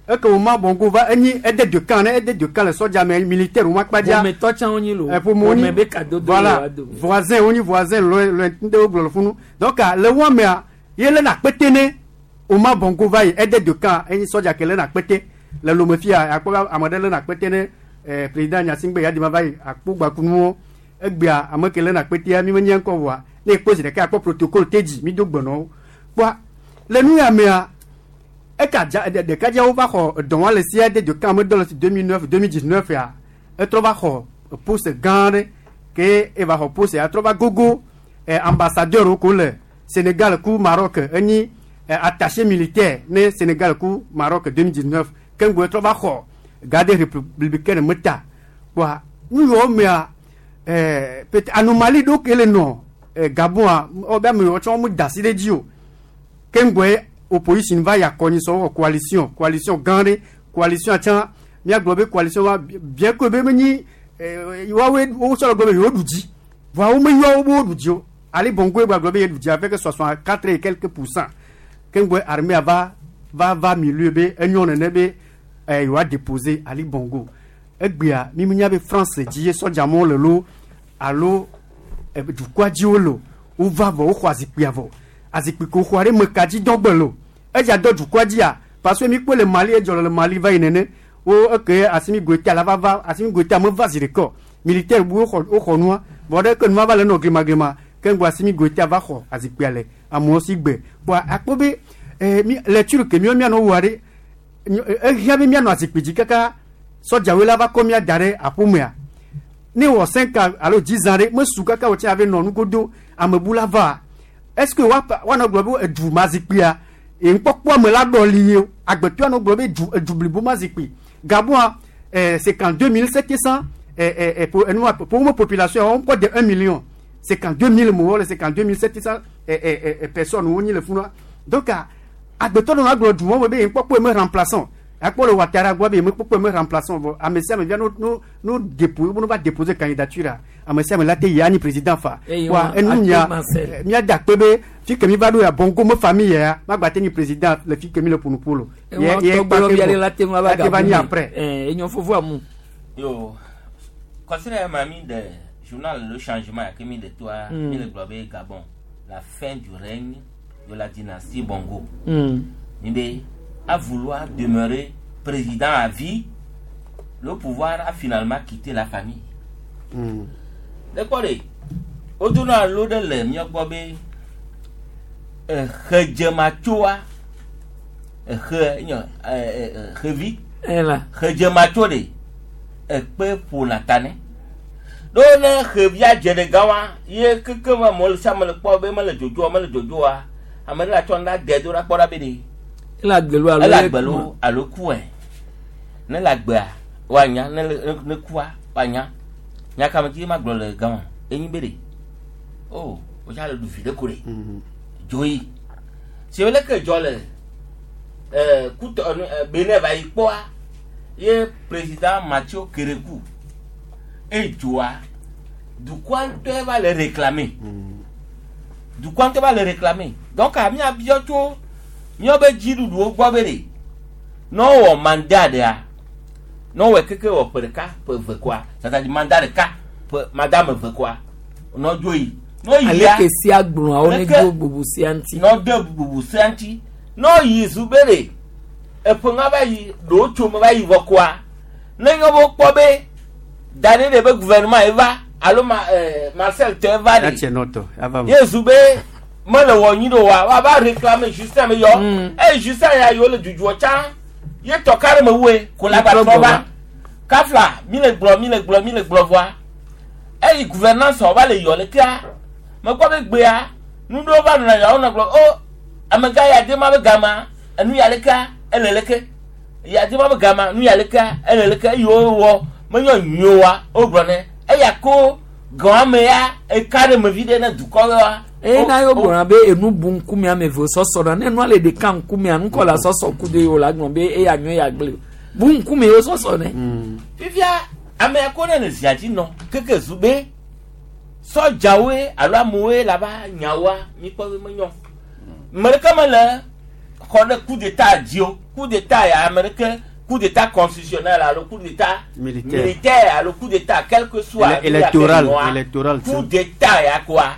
eke Omar Bongo va enyi ede de camp ne ede de camp le sɔdza me militaire wo makpa dzia Ƒometɔ tsã wonyi lo. ƒome wonyi Ƒome be kadodo le voilà woa dome. voisin wonyi voisin loin loin ŋɖe wo gblɔ le funu donc le wo mea ye lena akpete ne Omar Bongo va yi ede de camp enyi sɔdza ke lena akpete le lome fia akpɔ be ame ɖe lena akpete ne président Gnassingbé Eyadema va yi akpo gbakunuwo egbea ame ke lena akpetea mi menye ŋkɔ voa ne ekpɔ zi ɖeka akpɔ protocole te dzi mi do gbe nɔ wo kpoa le nu ya mea eka dza ɖekadzeawo va xɔ edɔwa le sia de de camp me dɔ le si 2009 2019 ya etrɔ va xɔ poste gã ɖe ke eva xɔ poste ya trɔ va gogo ambassadeur wo ko le Sénégal ku Maroc enyi attaché militaire ne Sénégal ku Maroc 2019 ke ŋgɔ etrɔ va xɔ garde républicaine me ta kpoa nu yiwo mea peut anomalie ɖewo ke le nɔ Gabon a be ame yiwo tsɔ wo da asi ɖe dzi o ke ŋgɔe opposition va yi akɔnyi sɔ wɔ coalition coalition gã ɖe coalition tsã míagblɔ be coalition wa bien que be menyi woawoe wotsɔ le gblɔ be yewo ɖu dzi voa wo meyɔ wo be wo ɖu dzi o Ali Bongo ye gblɔ be ye ɖu dzi avec 64 et quelques pourcents ke ŋgɔe armée va va va milieu be enyɔ nene be yewoa déposer Ali Bongo egbea mi menya be France dzi ye sɔdzamewo le lo alo dukɔa dzi wo le o wova vɔ woxɔ azikpuia vɔ azikpui ko xɔa ɖe me ka dzi dɔgbe lo edza dɔ dukɔa dzia parce que mi kpɔ le Mali edzɔ le Mali va yi nene wo eke Assimi Goïta la va va Assimi Goïta me va zi ɖeka o militaire bu woxɔ woxɔ nua vɔ ɖe ke nua va le nɔ glimaglimã ke ŋgɔ Assimi Goïta va xɔ azikpuia le amewo si gbe kpoa akpɔ be mi lecture ke miɔ mianɔ wɔa ɖe ehiã be mianɔ azikpui dzi kaka sɔdzawoe la va kɔ mia da ɖe aƒomea ne wɔ 5 ans alo 10 ans ɖe mesu kaka wòtsi ave nɔ nugodo amebula va est ce que woanɔ gblɔ be edu ma zikpuia ŋkpɔkpɔ ame la ɖɔli ye o agbetɔ anɔ gblɔ be edu edu blibo ma zikpui Gabon 52 700 pour enua pour mo population on kɔ de 1 million 52 000 mɔwɔ le 52 700 personnes wonyi le funua donc agbetɔ nɔ agblɔ du wɔn be ŋkpɔkpɔ me remplaçant akpɔ le Ouattara gbɔ be ŋkpɔkpɔ me remplaçant vɔ ame sia ame via no no no dépo no va déposer candidature a ame sia ame la te yi anyi président fa Eye wa wa enu akpe nya Marcel. mía da akpe be fi ke mi va ɖo ya Bongo me famille ya magba te nyi président le fi ke mi le ƒonuƒo lo Ewa tɔgbe lɔ bia la te ŋu ava la te va Gabon nyi me. après. Enyo fofo amu. Yo, considère ma de journal Le Changement que mi de toi, mi le gblɔ be Gabon, la fin du règne de la dynastie Bongo. Mi be, à vouloir demeurer président à vie, Le pouvoir a finalement quitté la famille. Le kpɔ ɖe, wodona alo ɖe le mía gbɔ be exedzematsoa, exe nye ɛ ɛ xevi. Ela. Xedzematso ɖe, ekpe ƒona ta nɛ. Ɖo ne xevia dze ɖe gã wa, ye keke me amewo le sia ame le kpɔ be mele dzodzoa, mele dzodzoa, ame ɖe la tsɔ nu ɖe ade do ɖa kpɔ ɖa be ɖe. Ele agbelo alo Ele ye agbelo kua? alo kue. Ne le agbea, woanya, ne le ne kua, woanya. Nya ka me dzi ma gblɔ le gama? Enyi be ɖe. Oh, wotsa le ɖu vi ɖe ko ɖe. Dzoyi. Si wole ke dzɔ le kutɔ Benin va yi kpɔa, ye président Mathieu Kérékou edzoa dukɔa ŋutɔe va le réclamer. Dukɔa ŋutɔ va le réclamer. Donc míabiɔ tso míaƒe dziɖuɖuwo gbɔ be ɖe ne wowɔ mandat ɖea, ne wowɔe keke wɔ ƒe ɖeka, ƒe eve koa, c'est-à-dire mandat ɖeka, ƒe mandat ame eve koa, ne wodzo yi. Ne woyia, Aleke sia gblɔa wo ne leke- do bubu sia ŋuti. ne wode bubu sia ŋuti, ne woyi zu be ɖe eƒe ŋa va yi, ɖewo tso me va yi vɔ koa, ne nye be wokpɔ be da ɖe ɖe be gouvernement ye va alo ma Marcel tɔ va ɖe. Atse nɔtɔ ava me. Ye zu be mele wɔ nyi ɖo wa wa va réclamer Justin me yɔ. Eye Justin ya yiwo le dzudzɔ tsã ye tɔ ka ɖe me wue ko la gba trɔ va. Kafla mi le gblɔ mi le gblɔ mi le gblɔ vɔa. Eyi gouvernance va le yɔ le kea mekpɔ be gbea nuɖewo va nɔna yɔ wonɔ gblɔ o amegã ya de ma be gama enu ya lekea ele leke ya de ma be gama nu ya lekea ele leke eye wowɔ menyɔ nyuie wa wogblɔ ne eya ko gɔame ya eka ɖe me vi ɖe ne dukɔ wa. Eye na yo gblɔna be enu bu ŋkume ame eve sɔsɔ na ne nua le ɖeka ŋkumea nukɔ la sɔsɔ ku de yo la gblɔ be eya nyɔ ya gblẽ bu ŋkume yo sɔsɔ ne. Fifia ame ya ko ne le zia dzi nɔ keke zu be sɔdzawoe alo amewoe la va nyawoa mikpɔ be menyɔ. Ame ɖeke mele xɔ ɖe coup d'état dzi o. Coup d'état ya ame ɖeke coup d'état constitutionnel alo coup d'état Militaire. militaire alo coup d'état quel que soit Électoral, nu ya ke nɔa, électoral, coup d'état ya koa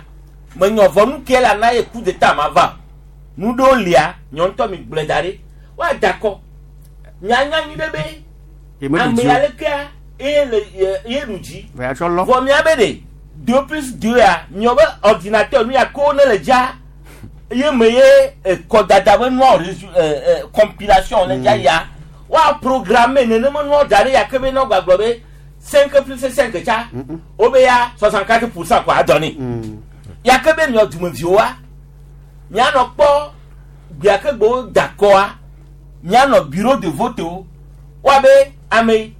menyɔ vɔ nu ke la na ye coup d'état ma va. Nu ɖewo lia nyɔ ŋutɔ mi gblɔe da ɖi woada kɔ nyanya nyui ɖe be Ye meɖu ame dzi o. ya lekea ye le ye ye ɖu dzi. Vɔ ya tsɔ lɔ. Vɔ mía be ɖe 2 plus 2 ya miɔ be ordinateur nu ya ko ne le dza ye me ye kɔdada be nua resu ɛ ɛ compilation le dza ya woa programmer nenema nua da ɖe ya ke be ne wogba gblɔ be 5 plus 5 tsa wo be ya 64% ko adɔ nɛ ya ke be miɔ dumeviwoa mianɔ kpɔ gbea ke gbewo da kɔa mianɔ bureau de vote wo woabe ame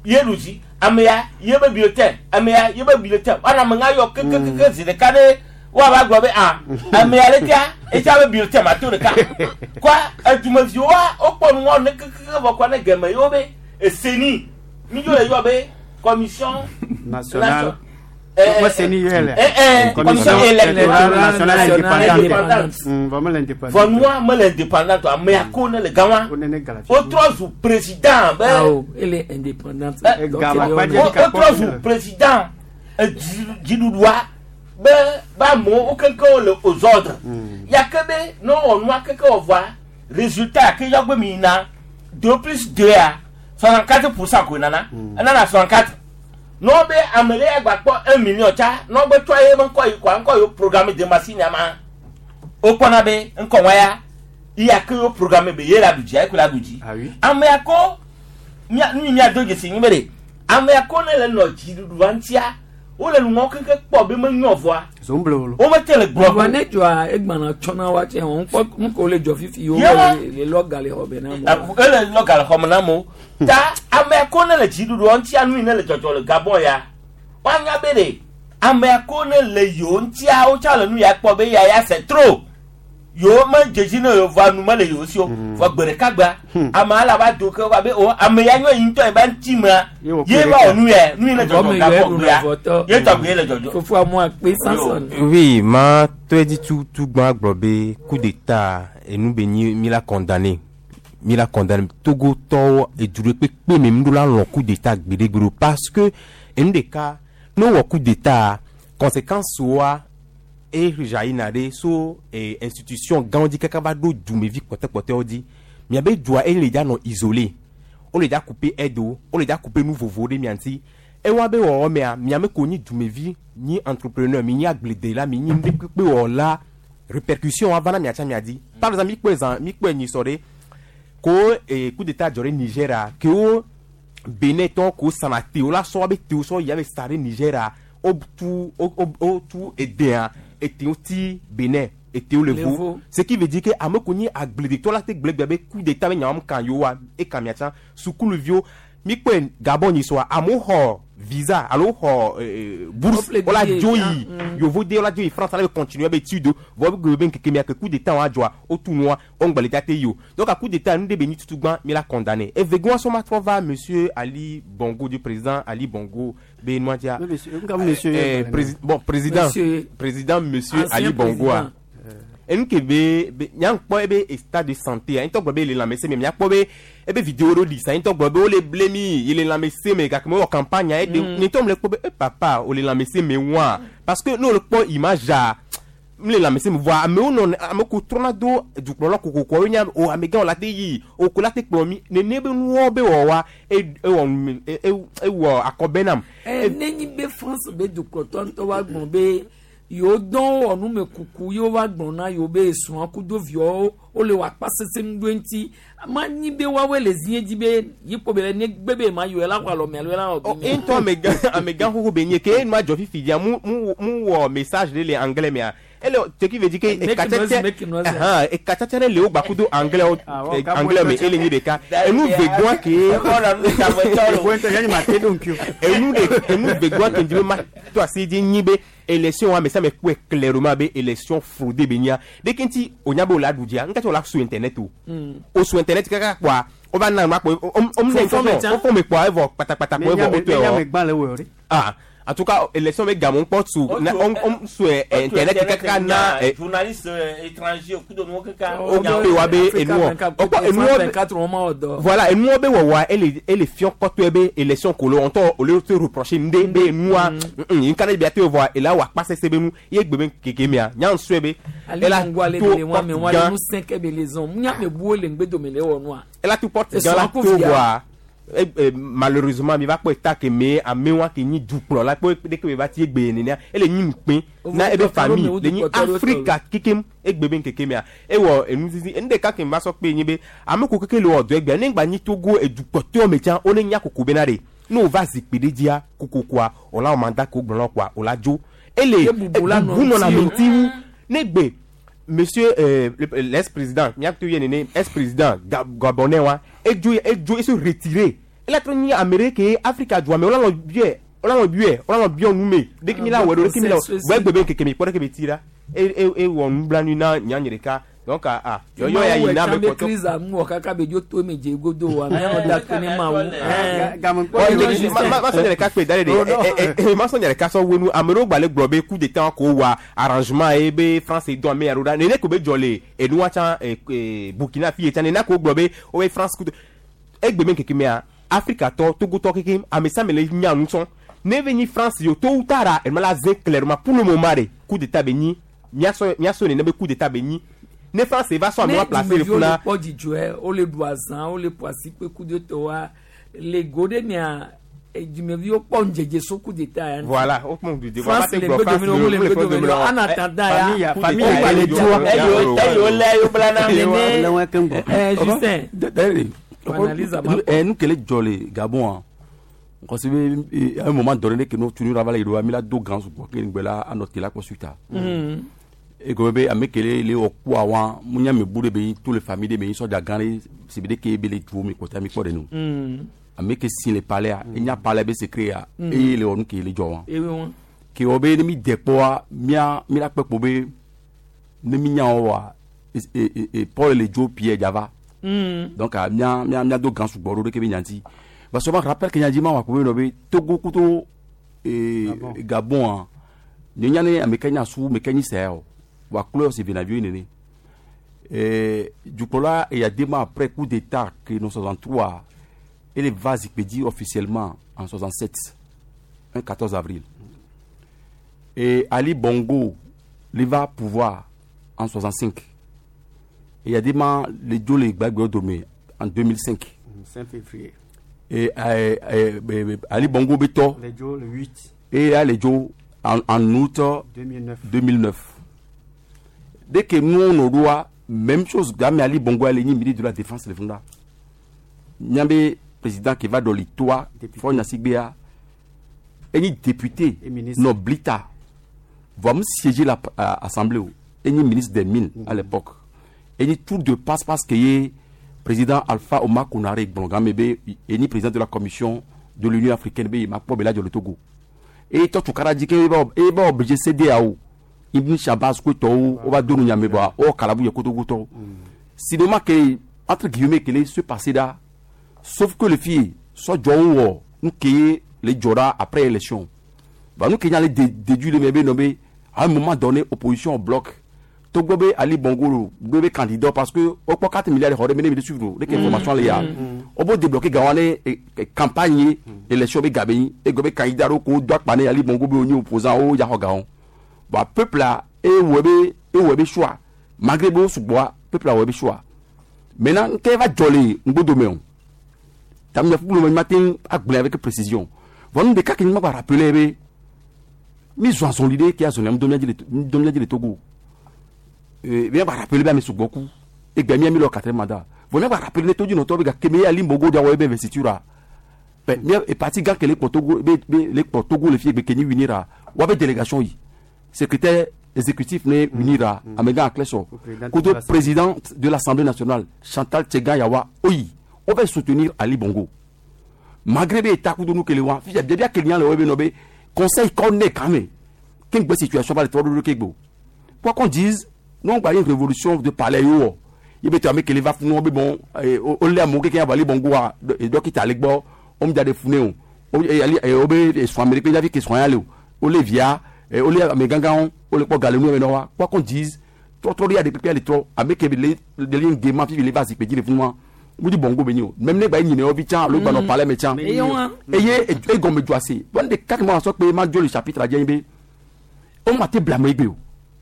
ye ɖu dzi ame ya ye be bulletin ame ya ye be bulletin woana ame ŋa yɔ kekekeke zi ɖeka ɖe woava gblɔ be ah ame ya lekea etsa be bulletin ma to ɖeka kɔa edumeviwoa wokpɔ nu wɔm ne kekeke vɔ kɔa ne gɛmɛ yewo be eseni mi dzo le yɔ be commission Nationale. Eh, Moi, c'est ni elle. Commission électorale nationale indépendante. indépendante. Vraiment l'indépendante. Vɔ nua mele indépendante o ame ya ko ne le gã wa wotrɔ zu président be. Awo ele indépendante. Donc, ele wotrɔ zu président dziɖuɖua be be amewo wo keŋkeŋ le aux ordres ya ke be ne wowɔ nua keke wɔ vɔa résultat ya ke yɔ gbe mi yina 2 plus 2 ya 64% ko nana enana 64 ne wo be ame ɖe ya gba kpɔ 1 million tsa ne wo be tsɔ ye be ŋkɔ yi kɔa ŋkɔ yi wo programme de machine ya ma wokpɔna be ŋkɔ wa ya iya ke wo programme be ye la ɖu dzi ye ko la ɖu dzi ame ya ko mia nu yi mia do dzesi nyi be ɖe ame ya ko ne le nɔ dziɖuɖua ŋutia wole nu ŋɔ keke kpɔ be menyɔ vɔa Zomblolo. womete le gblɔ Vɔ ne dzɔa egbana tsɔna wa tse wɔn kpɔ nu ko le dzɔ fifi yewo Yewo. le lɔ ga le xɔ be na amewo. Ele lɔ ga le xɔme na amewo ta ame ya ko ne le dziɖuɖua ŋutia nu yi ne le dzɔdzɔ le Gabon ya woanya be ɖe ame ya ko ne le yewo ŋutia wotsa le nu ya kpɔ be ya ya c'est trop yewo me dzedzi ne yewo vɔa nu mele yewo si o vɔ gbe ɖeka gbea amea la va do ke va be o ame ya nyɔ yi ŋutɔ yi ba ŋuti mea ye va wɔ nu ya nu yi ne dzɔdzɔ Gabon gbea ye tɔgbe ye le dzɔdzɔ. Fofo amu akpe Samson. Oui, ma tɔe di tu tu gbã gblɔ be coup d'état enu be nyi mi la condamné mi la condamné Togo tɔwo edu ɖe kpekpe me mi ɖo la lɔn coup d'état gbeɖegbeɖe o parce que enu ɖeka ne wɔ coup d'état conséquence woa e jaillina ɖe so institution gãwo dzi kaka va ɖo dumevi kpɔtɛkpɔtɛwo dzi miabe dua ele dza nɔ isolé. wole dza couper aide wo, wole dza couper nu vovowo ɖe mia ŋuti. Ewa be wɔwɔ mea, miame ko nyi dumevi, nyi entrepreneur, mi nyi agbledela, mi nyi nu ɖe kpekpe wɔla, répercussion wa va na miatsa mia dzi. Par exemple, mi kpɔe zã, mi kpɔe nyisɔ ɖe, ko coup d'état dzɔ ɖe Niger kewo Benin tɔwo ko sana tewo la sɔ woabe tewo sɔ yi abe sa ɖe Niger wotu wotu edea etewo ti Benin etewo le vo. Ce qui veut dire que ame ko nyi agbledetɔ la te gblẽ gbe be coup d'état be nyawo kan yewoa eka miatsa sukuluviwo mi kpɔe Gabon nyisɔa amewo xɔ visa alo xɔ bourse wola dzo yi yevude wola dzo yi France ale be continuer be étude vɔ be be ŋkeke mia ke coup d'état wa dzɔa wotu nua wo ŋgba le dza te yi o. Donc a coup d'état nu ɖe be nyi tutu gbã mi la condamné. Evegɔa sɔ ma trɔ va monsieur Ali Bongo du président Ali Bongo be nua dzia. Bon président président monsieur Ali Bongo a. Enu ke be nyankpɔ ebe état de santé a ŋutɔ gblɔ be le lãmesẽ me miakpɔ be ebe vidéo ɖo ɖi sa ŋutɔ gblɔ be wole ble mi yi le lãmesẽ me gake mewɔ campagne a eɖe ŋutɔ me le kpɔ be e papa wole lãmesẽ me wa parce que ne wole kpɔ image a m le lãmesẽ me voa amewo nɔ ame ko trɔna do dukplɔla kokoko wo nya o amegãwo la te yi o ko la te kplɔ mi nene be nuwɔ be wɔ wa ewɔ ewɔ akɔbɛ nam. Nenyi be France be dukplɔtɔ ŋutɔ wa gblɔ be yewo dɔn wɔ numekuku yewo va gblɔ na yewo be esrɔ̃ kudo viawo wole wɔ akpa sese nu ɖo ŋuti ma nyi be woawoe le zie dzi be yikpo be le ne gbe be ma yɔ la xɔ alɔ me alo la wɔ bi. Ŋutɔ amegã amegã xoxo be nye ke enua dzɔ fifi dzia mu mu mu wɔ message ɖe le anglais mea ele ce qui veut dire que ekatsatsa ekatsatsa ɖe le wo gbakudo anglais anglais me ele nyi ɖeka enu vegoa ke enu de enu vegoa ke dzi be ma to asi dzi nyi be élection wa mais ça me kpɔe clairement be élection fraudée be nya de kenti o nya be o la ɖu dzia ŋkati o la su internet o o su internet kaka kpɔa o va na nua kpɔ o o ne ŋkɔ o fɔ me kpɔa evɔ kpatakpata kpɔ evɔ o tɔe wɔ ah en tout cas élection be gamɔ kpɔ su na o o su internet kaka na journaliste étranger kudo nuwo kaka o pe wa be enuwɔ o kpɔ enuwɔ voilà enuwɔ be wɔwɔa ele ele fiɔ kɔtɔe be élection kolo ŋutɔ o le te reprocher ŋde be enua nka ne bia te vɔa ela wɔ akpa sese be nu ye gbe be keke mea nya ŋusue be ela to porte gã ela to porte gã la to vɔa malheureusement mi va kpɔ eta ke me amewa ke nyi dukplɔla kpɔ ɖeke be va ti egbe nenea ele nyi ŋukpe na ebe famille le nyi Afrika kekem egbe be ŋkeke mea ewɔ enu zizi enu ɖeka ke va sɔ kpe nyi be ame ko keke le wɔ dɔ egbea ne ŋgba nyi Togo edukplɔtɔwo me tsã wole nya koko bena ɖe ne wova zikpui ɖe dzia kokokoa wòla wɔ mandat ke wogblɔ na kɔa wòla dzo ele bubu nɔna ame ŋuti wu ne gbe monsieur l'ex-président miato ye nene ex-président gabonais wa edzo edzo ese retiré ela trɔ nyi ame ɖe ke Afrika dua me wola nɔ biɛ wola nɔ biɛ wola nɔ biɛ nu me ɖeke mi la wɔ ɖo ɖeke mi la wɔ gbɛ gbe be ŋkeke mi kpɔ ɖeke be ti la e e ewɔ nublanui na nya nye ɖeka donc ah yɔyɔ ya yi na me kpɔtɔ. Crise amu wɔ kaka be dzo to eme dze godo wa mianɔ da to ne mawu. Ma sɔ nye ɖeka kpe da ɖe ɖe ma sɔ nye ɖeka sɔ wenu ame ɖewo gba le gblɔ be coup d'état ko wa arrangement ye be France dɔn ame ya ɖo ɖa nene ko be dzɔ le enua tsã Burkina fi ye tsã nene ko gblɔ be wo be France coup egbe me ŋkeke mea Afrika tɔ Togotɔ keke ame sia ame le nya nu sɔn ne ve nyi France yo tôt ou tard enuma la zé clairement pour le moment de coup d'état be nyi miasɔ nene be coup d'état be nyi ne France va sɔ amewa placer le funa. Ne kpɔ dzidzɔe wole ɖu azã wole ƒo asi kpe coup d'état wa le go ɖe mia dumeviwo kpɔ ŋdzedze so coup d'état ya. Voilà o kpɔ ŋdzedze France le ŋgbe dome wole ŋgbe dome en attendant ya. Famille ya le dua. Eyi lé eyi bla na. Justin. Nu ke le dzɔ le Gabon parce que à un moment donné que nous tunu ravala yiɖoa mi la do gã sugbɔ ke ŋgbe la anɔ te la kpɔ suite e gɔme be ame ke le le wɔ kua wa mu nya me bu ɖe be yi tous les familles ɖe me yi sɔdza gã ɖe si be ɖe ke be le duwo me kpɔtɔa mi kpɔ ɖe nu ame ke si le palais a enya palais be secret ya eye le wɔ nu ke le dzɔ wa ke wɔ be ne mi de kpɔa mia mi la kpɛ kpo be ne mi nya wɔ wa Paul le dzo Pierre dzava donc mia mia mia do gã sugbɔ ɖo ɖe ke be nyanti parce que rappel ke nyadzi ma wɔ akpo be nɔ be Togo kuto Gabon a nye nya ne ame ke nya su ame ke nyi sɛ o wa klo si venaviwo nene dukplɔla Eyadéma après coup d'état que nous 63 ele va zikpui dzi officiellement en 67 un 14 avril et Ali Bongo le va pouvoir en 65 Eyadéma le dzo le gbagbe dome en 2005 5 février. Et Ali Bongo Beto. Le dzo le 8. Et ale dzo en août 2009. 2009. Dès que nous on aura même chose game Ali Bongo ale ni ministre de la défense le funda. Nyambe président qui va dans l'histoire Faure Gnassingbé eni député Et ministre. Non Blita va me siéger la assemblée eni ministre des mines à l'époque. Eni tour de passe parce que ye président Alpha Omar Konaré Blongame be eni président de la commission de l'Union africaine be ma po be la le Togo. Et toi tu kara di ke e ba obligé CEDEAO Ibn Shabazz ko to o ba donu nyame ba o kalabu ye kotogo to. C'est dommage que entre guillemets que les se passer là sauf que le fille soit jowo nous qui les jora après élection. Bah nous qui allons déduire le même nommé à un moment donné opposition au bloc. Togo be Ali Bongo be candidat parce que au pas 4 milliards de mener de suivre les informations les ya. On peut débloquer gawane campagne élection be gabe et gobe candidat ko doit pané Ali Bongo be oni opposant o ya gaon. Bah peuple là et webe choix malgré bo sougboa peuple là webe choix. Maintenant qu'est va jolé ngbodo meon. Tam ya fulu matin agblé avec précision. Von de cas qui m'a rappelé be mi zon son l'idée qui a son nom domia le Togo. Bien va rappeler bien mes beaucoup et bien mi le quatrième mandat. Von va rappeler tout du notre be kemé ali Bongo dia webe investiture. Ben mi e parti gan que les Togo be les Togo le fi be Kenya unira. Wa be délégation yi. Secrétaire exécutif né unira amega Akleso. Président de Koto l'Assemblée. président de l'Assemblée nationale Chantal Tchegan Yawa Oyi. On va soutenir Ali Bongo. Malgré les états nous que les wa, fi bien bien que le webe nobe conseil qu'on est quand même. Quelle bonne situation va le trois de Kegbo. Quoi qu'on dise, nous on va une révolution de palais yo. Il be que les va funu be bon o le amoke ke Ali Bongo a et donc il bo on me des fune o e ali e o be e so Amérique ya vi ke so ya le o le via e o le amegangan o le po galenu me no wa. Quoi qu'on dise, trop trop il y a des pépés les trop avec les les lignes gaiement fi les va si pe dire funu mudi bongo be ni o même ne ba yin o bi chan lo gba no palais me chan Eyo wa. eye e gome juase bon de quatre mois so pe ma jo le chapitre a jẹ́ be o ma te blâmer gbe o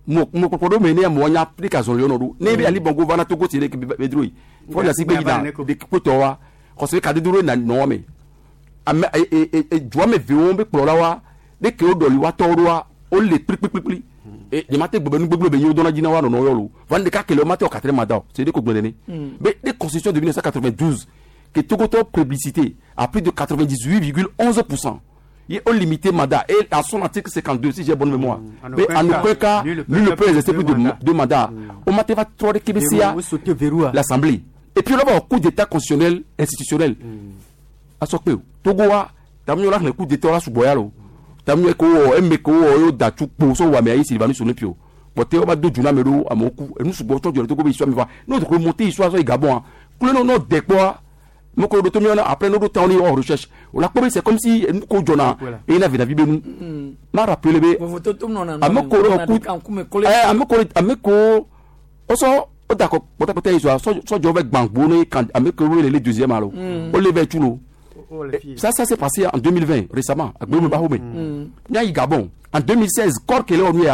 mo mo kokodo me ne mo nya Afrika zon le ono ne be Ali Bongo vana Togo ti le ke be dro yi fo na si gbe yi da de ko to wa ko se ka de duro na no me ame e e e jua me vi won be kplo la wa de ke o doli wa to ro wa o le pri pri pri pri e ni ma te gbebe nu gbegbe be yin o dona jina wa no no yo lo van de ka kele o ma te o quatrième mandat c'est de ko gbene ni mais des constitutions de 1992 que Togo to plébiscité à plus de 98,11%. Il a limité mandat et à son article 52 si j'ai bonne mémoire. En Mais aucun en cas, aucun cas, nul ne nul ne peut exercer plus de deux mandats. deux mandats. On m'a fait trois de KBCA, Verrou, sauter verrou. l'Assemblée. Et puis là, au coup d'état constitutionnel institutionnel. À ce que Togo a, t'as mis là le coup d'état là sous Boyalo. T'as mis ko emme ko yo datu po so wa me ayi Sylvanus Onepio. Bote o ba do juna melo amoku. Et nous sous Boto du Togo be histoire me va. Nous remonter histoire so Gabon. Kule non non dekwa. Moko do tomi ona après nous do temps on recherche. On la c'est comme si nous ko jona et il avait la vie nous. M'a rappelé be ameko ro ku eh ameko ameko o so o da ko pota histoire so so jo ve gbangbo ni kan ameko ro le deuxième alo. O le ve tulo. Ça s'est passé en 2020, récemment, à Gbemo Bahome. Nya Gabon. En 2016, corps qu'elle est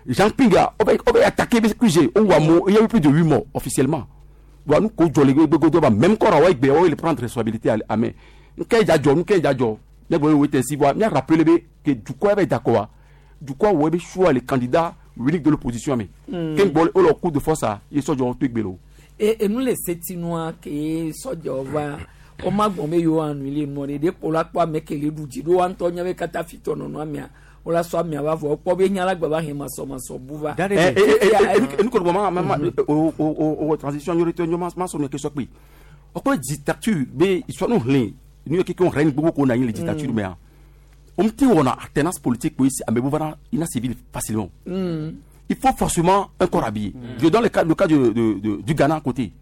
Jean Pinga, on va attaquer QG, on va il y a eu plus de 8 morts officiellement. Bon, nous, même corps, on va prendre responsabilité à main. Nous, nous, rappelé que du coup, il d'accord. Du coup, on va choix les candidats uniques de l'opposition. Mais, quand on a coup de force, ils sont Et nous, les Sétinois, qui sont o ma gbɔn be yewo anu le nɔ ɖe ɖe kpo la kpɔ ame ke le ɖu dzi ɖo wa ŋutɔ nya be katã fi tɔ nɔnɔ amea wo la sɔ amea va vɔ kpɔ be nya la gba va he masɔmasɔ bu va. enu kɔni ma ma o o o transition yɔrɔ tɛ ɲɔgɔn ma sɔn kɛ sɔkpe o ko dictature be histoire nu hlin nu ye keke règne gbogbo ko na yin le dictature mais on me dit on a alternance politique oui ame bu va ina civil facilement. Il faut forcément un corps habillé. Je donne le cas du Ghana à côté.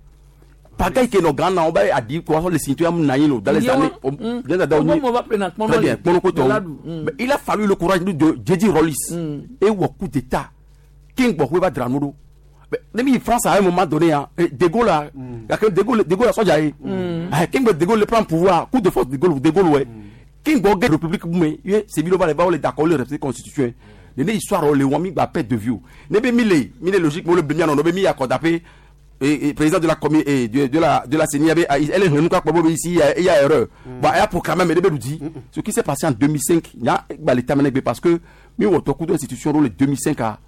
Pagaille que nos grands on va dire quoi les citoyens dans les années très bien mais il a fallu le courage de J.D. Rollis et au coup d'état King Bokwe va Dranoro mais même France à un moment donné De Gaulle a De Gaulle De Gaulle a soja King De Gaulle prend pouvoir coup de force De Gaulle De Gaulle ouais King Bokwe République mais c'est bien va les d'accord le respect constitution les histoire les wami ba perte de vue ne be mille mille logique mo le bien non be mi accordé et président de la commune et de la CENI avait elle est revenue quoi ici il y a erreur. Bon, elle a proclamé mais nous dit ce qui s'est passé en 2005, il y a bah l'état parce que mi woto coup d'institution le 2005 a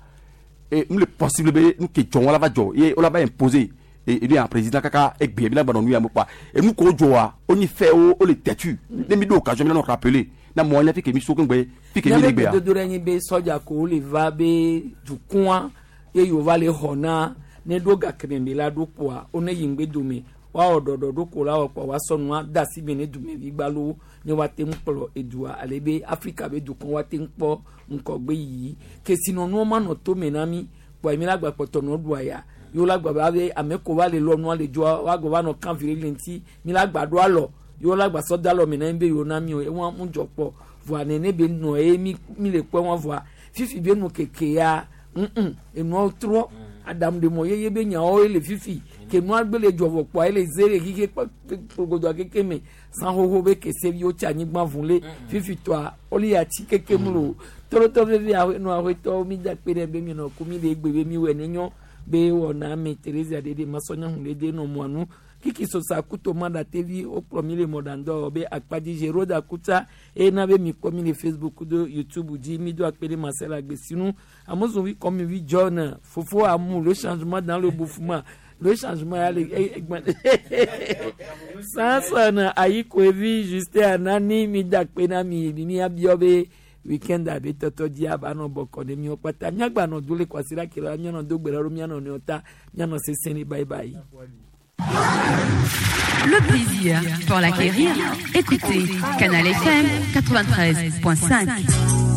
et nous le possible nous qui on la va et on la va imposer et lui un président kaka et bien bien nous ya pas et nous ko joa on y fait o le têtu ne mi do occasion mi nous rappeler na mo nya fi ke mi so kengbe fi ke mi le gbe ya dodo ɖe nyi be sɔdza ko le va be dukɔa ye yewo va le xɔ na ne ɖo gakeme mi la ɖo kpoa wo ne yi ŋgbe dome woawɔ ɖɔɖɔ ɖo ko la wɔ kpoa woasɔ nua de asi me ne dumevi gbalowo ne woate ŋu kplɔ edua ale be Afrika be dukɔ woate ŋu kpɔ ŋgɔgbe yiyi kesinɔnuwo manɔ tome na mi kpoa mi la gba kpɔtɔ nɔ ɖua ya yewo la gba ba be ame ko va le lɔ nua le dzoa woagbɔ va nɔ kan vi le ŋuti mi la gba ɖo alɔ yewo la gba sɔ de alɔ me na mi be yewo na mi o ewa ŋu dzɔ kpɔ voa nene be nɔ ye mi mi le kpɔ wɔn voa fifi be nu keke ya enuawo trɔ adamu de mɔ yeye be nyawo le fifi ke nua gbe le dzɔvɔ kpɔa ele ze le xixi kpɔ keke me san xoxo be kese viwo tsi anyigba vun le fifi tɔa wole ati keke mu lo tɔlɔtɔ veve nu awetɔwo mi da kpe ɖe be mi nɔ ku mi le egbe be mi wɔ ne nyɔ be wɔna ame Teresa ɖeɖe masɔnya hun ɖe de nɔ mɔa nu kiki sosa kuto ma da tevi wokplɔ mi le mɔɖaŋdɔ be akpadzi Zeroda kuta eye na be mi kpɔ mi le Facebook do YouTube dzi mi do akpe ɖe Marcel Agbesinu amozovi kɔmivi John fofo amu le changement dans le bouffement le changement ya le Samson Ayikoevi Justin Anani mi da akpe na mi mi abiɔ be weekend abe tɔtɔ dzi aba nɔ bɔkɔ ne miwo kpata miagba nɔ do le kwasiɖa ke la mianɔ do gbe ɖa ɖo mianɔ nɔewo ta mianɔ sesẽ ɖe bye bye. Le plaisir, pour l'acquérir, écoutez Canal FM 93.5.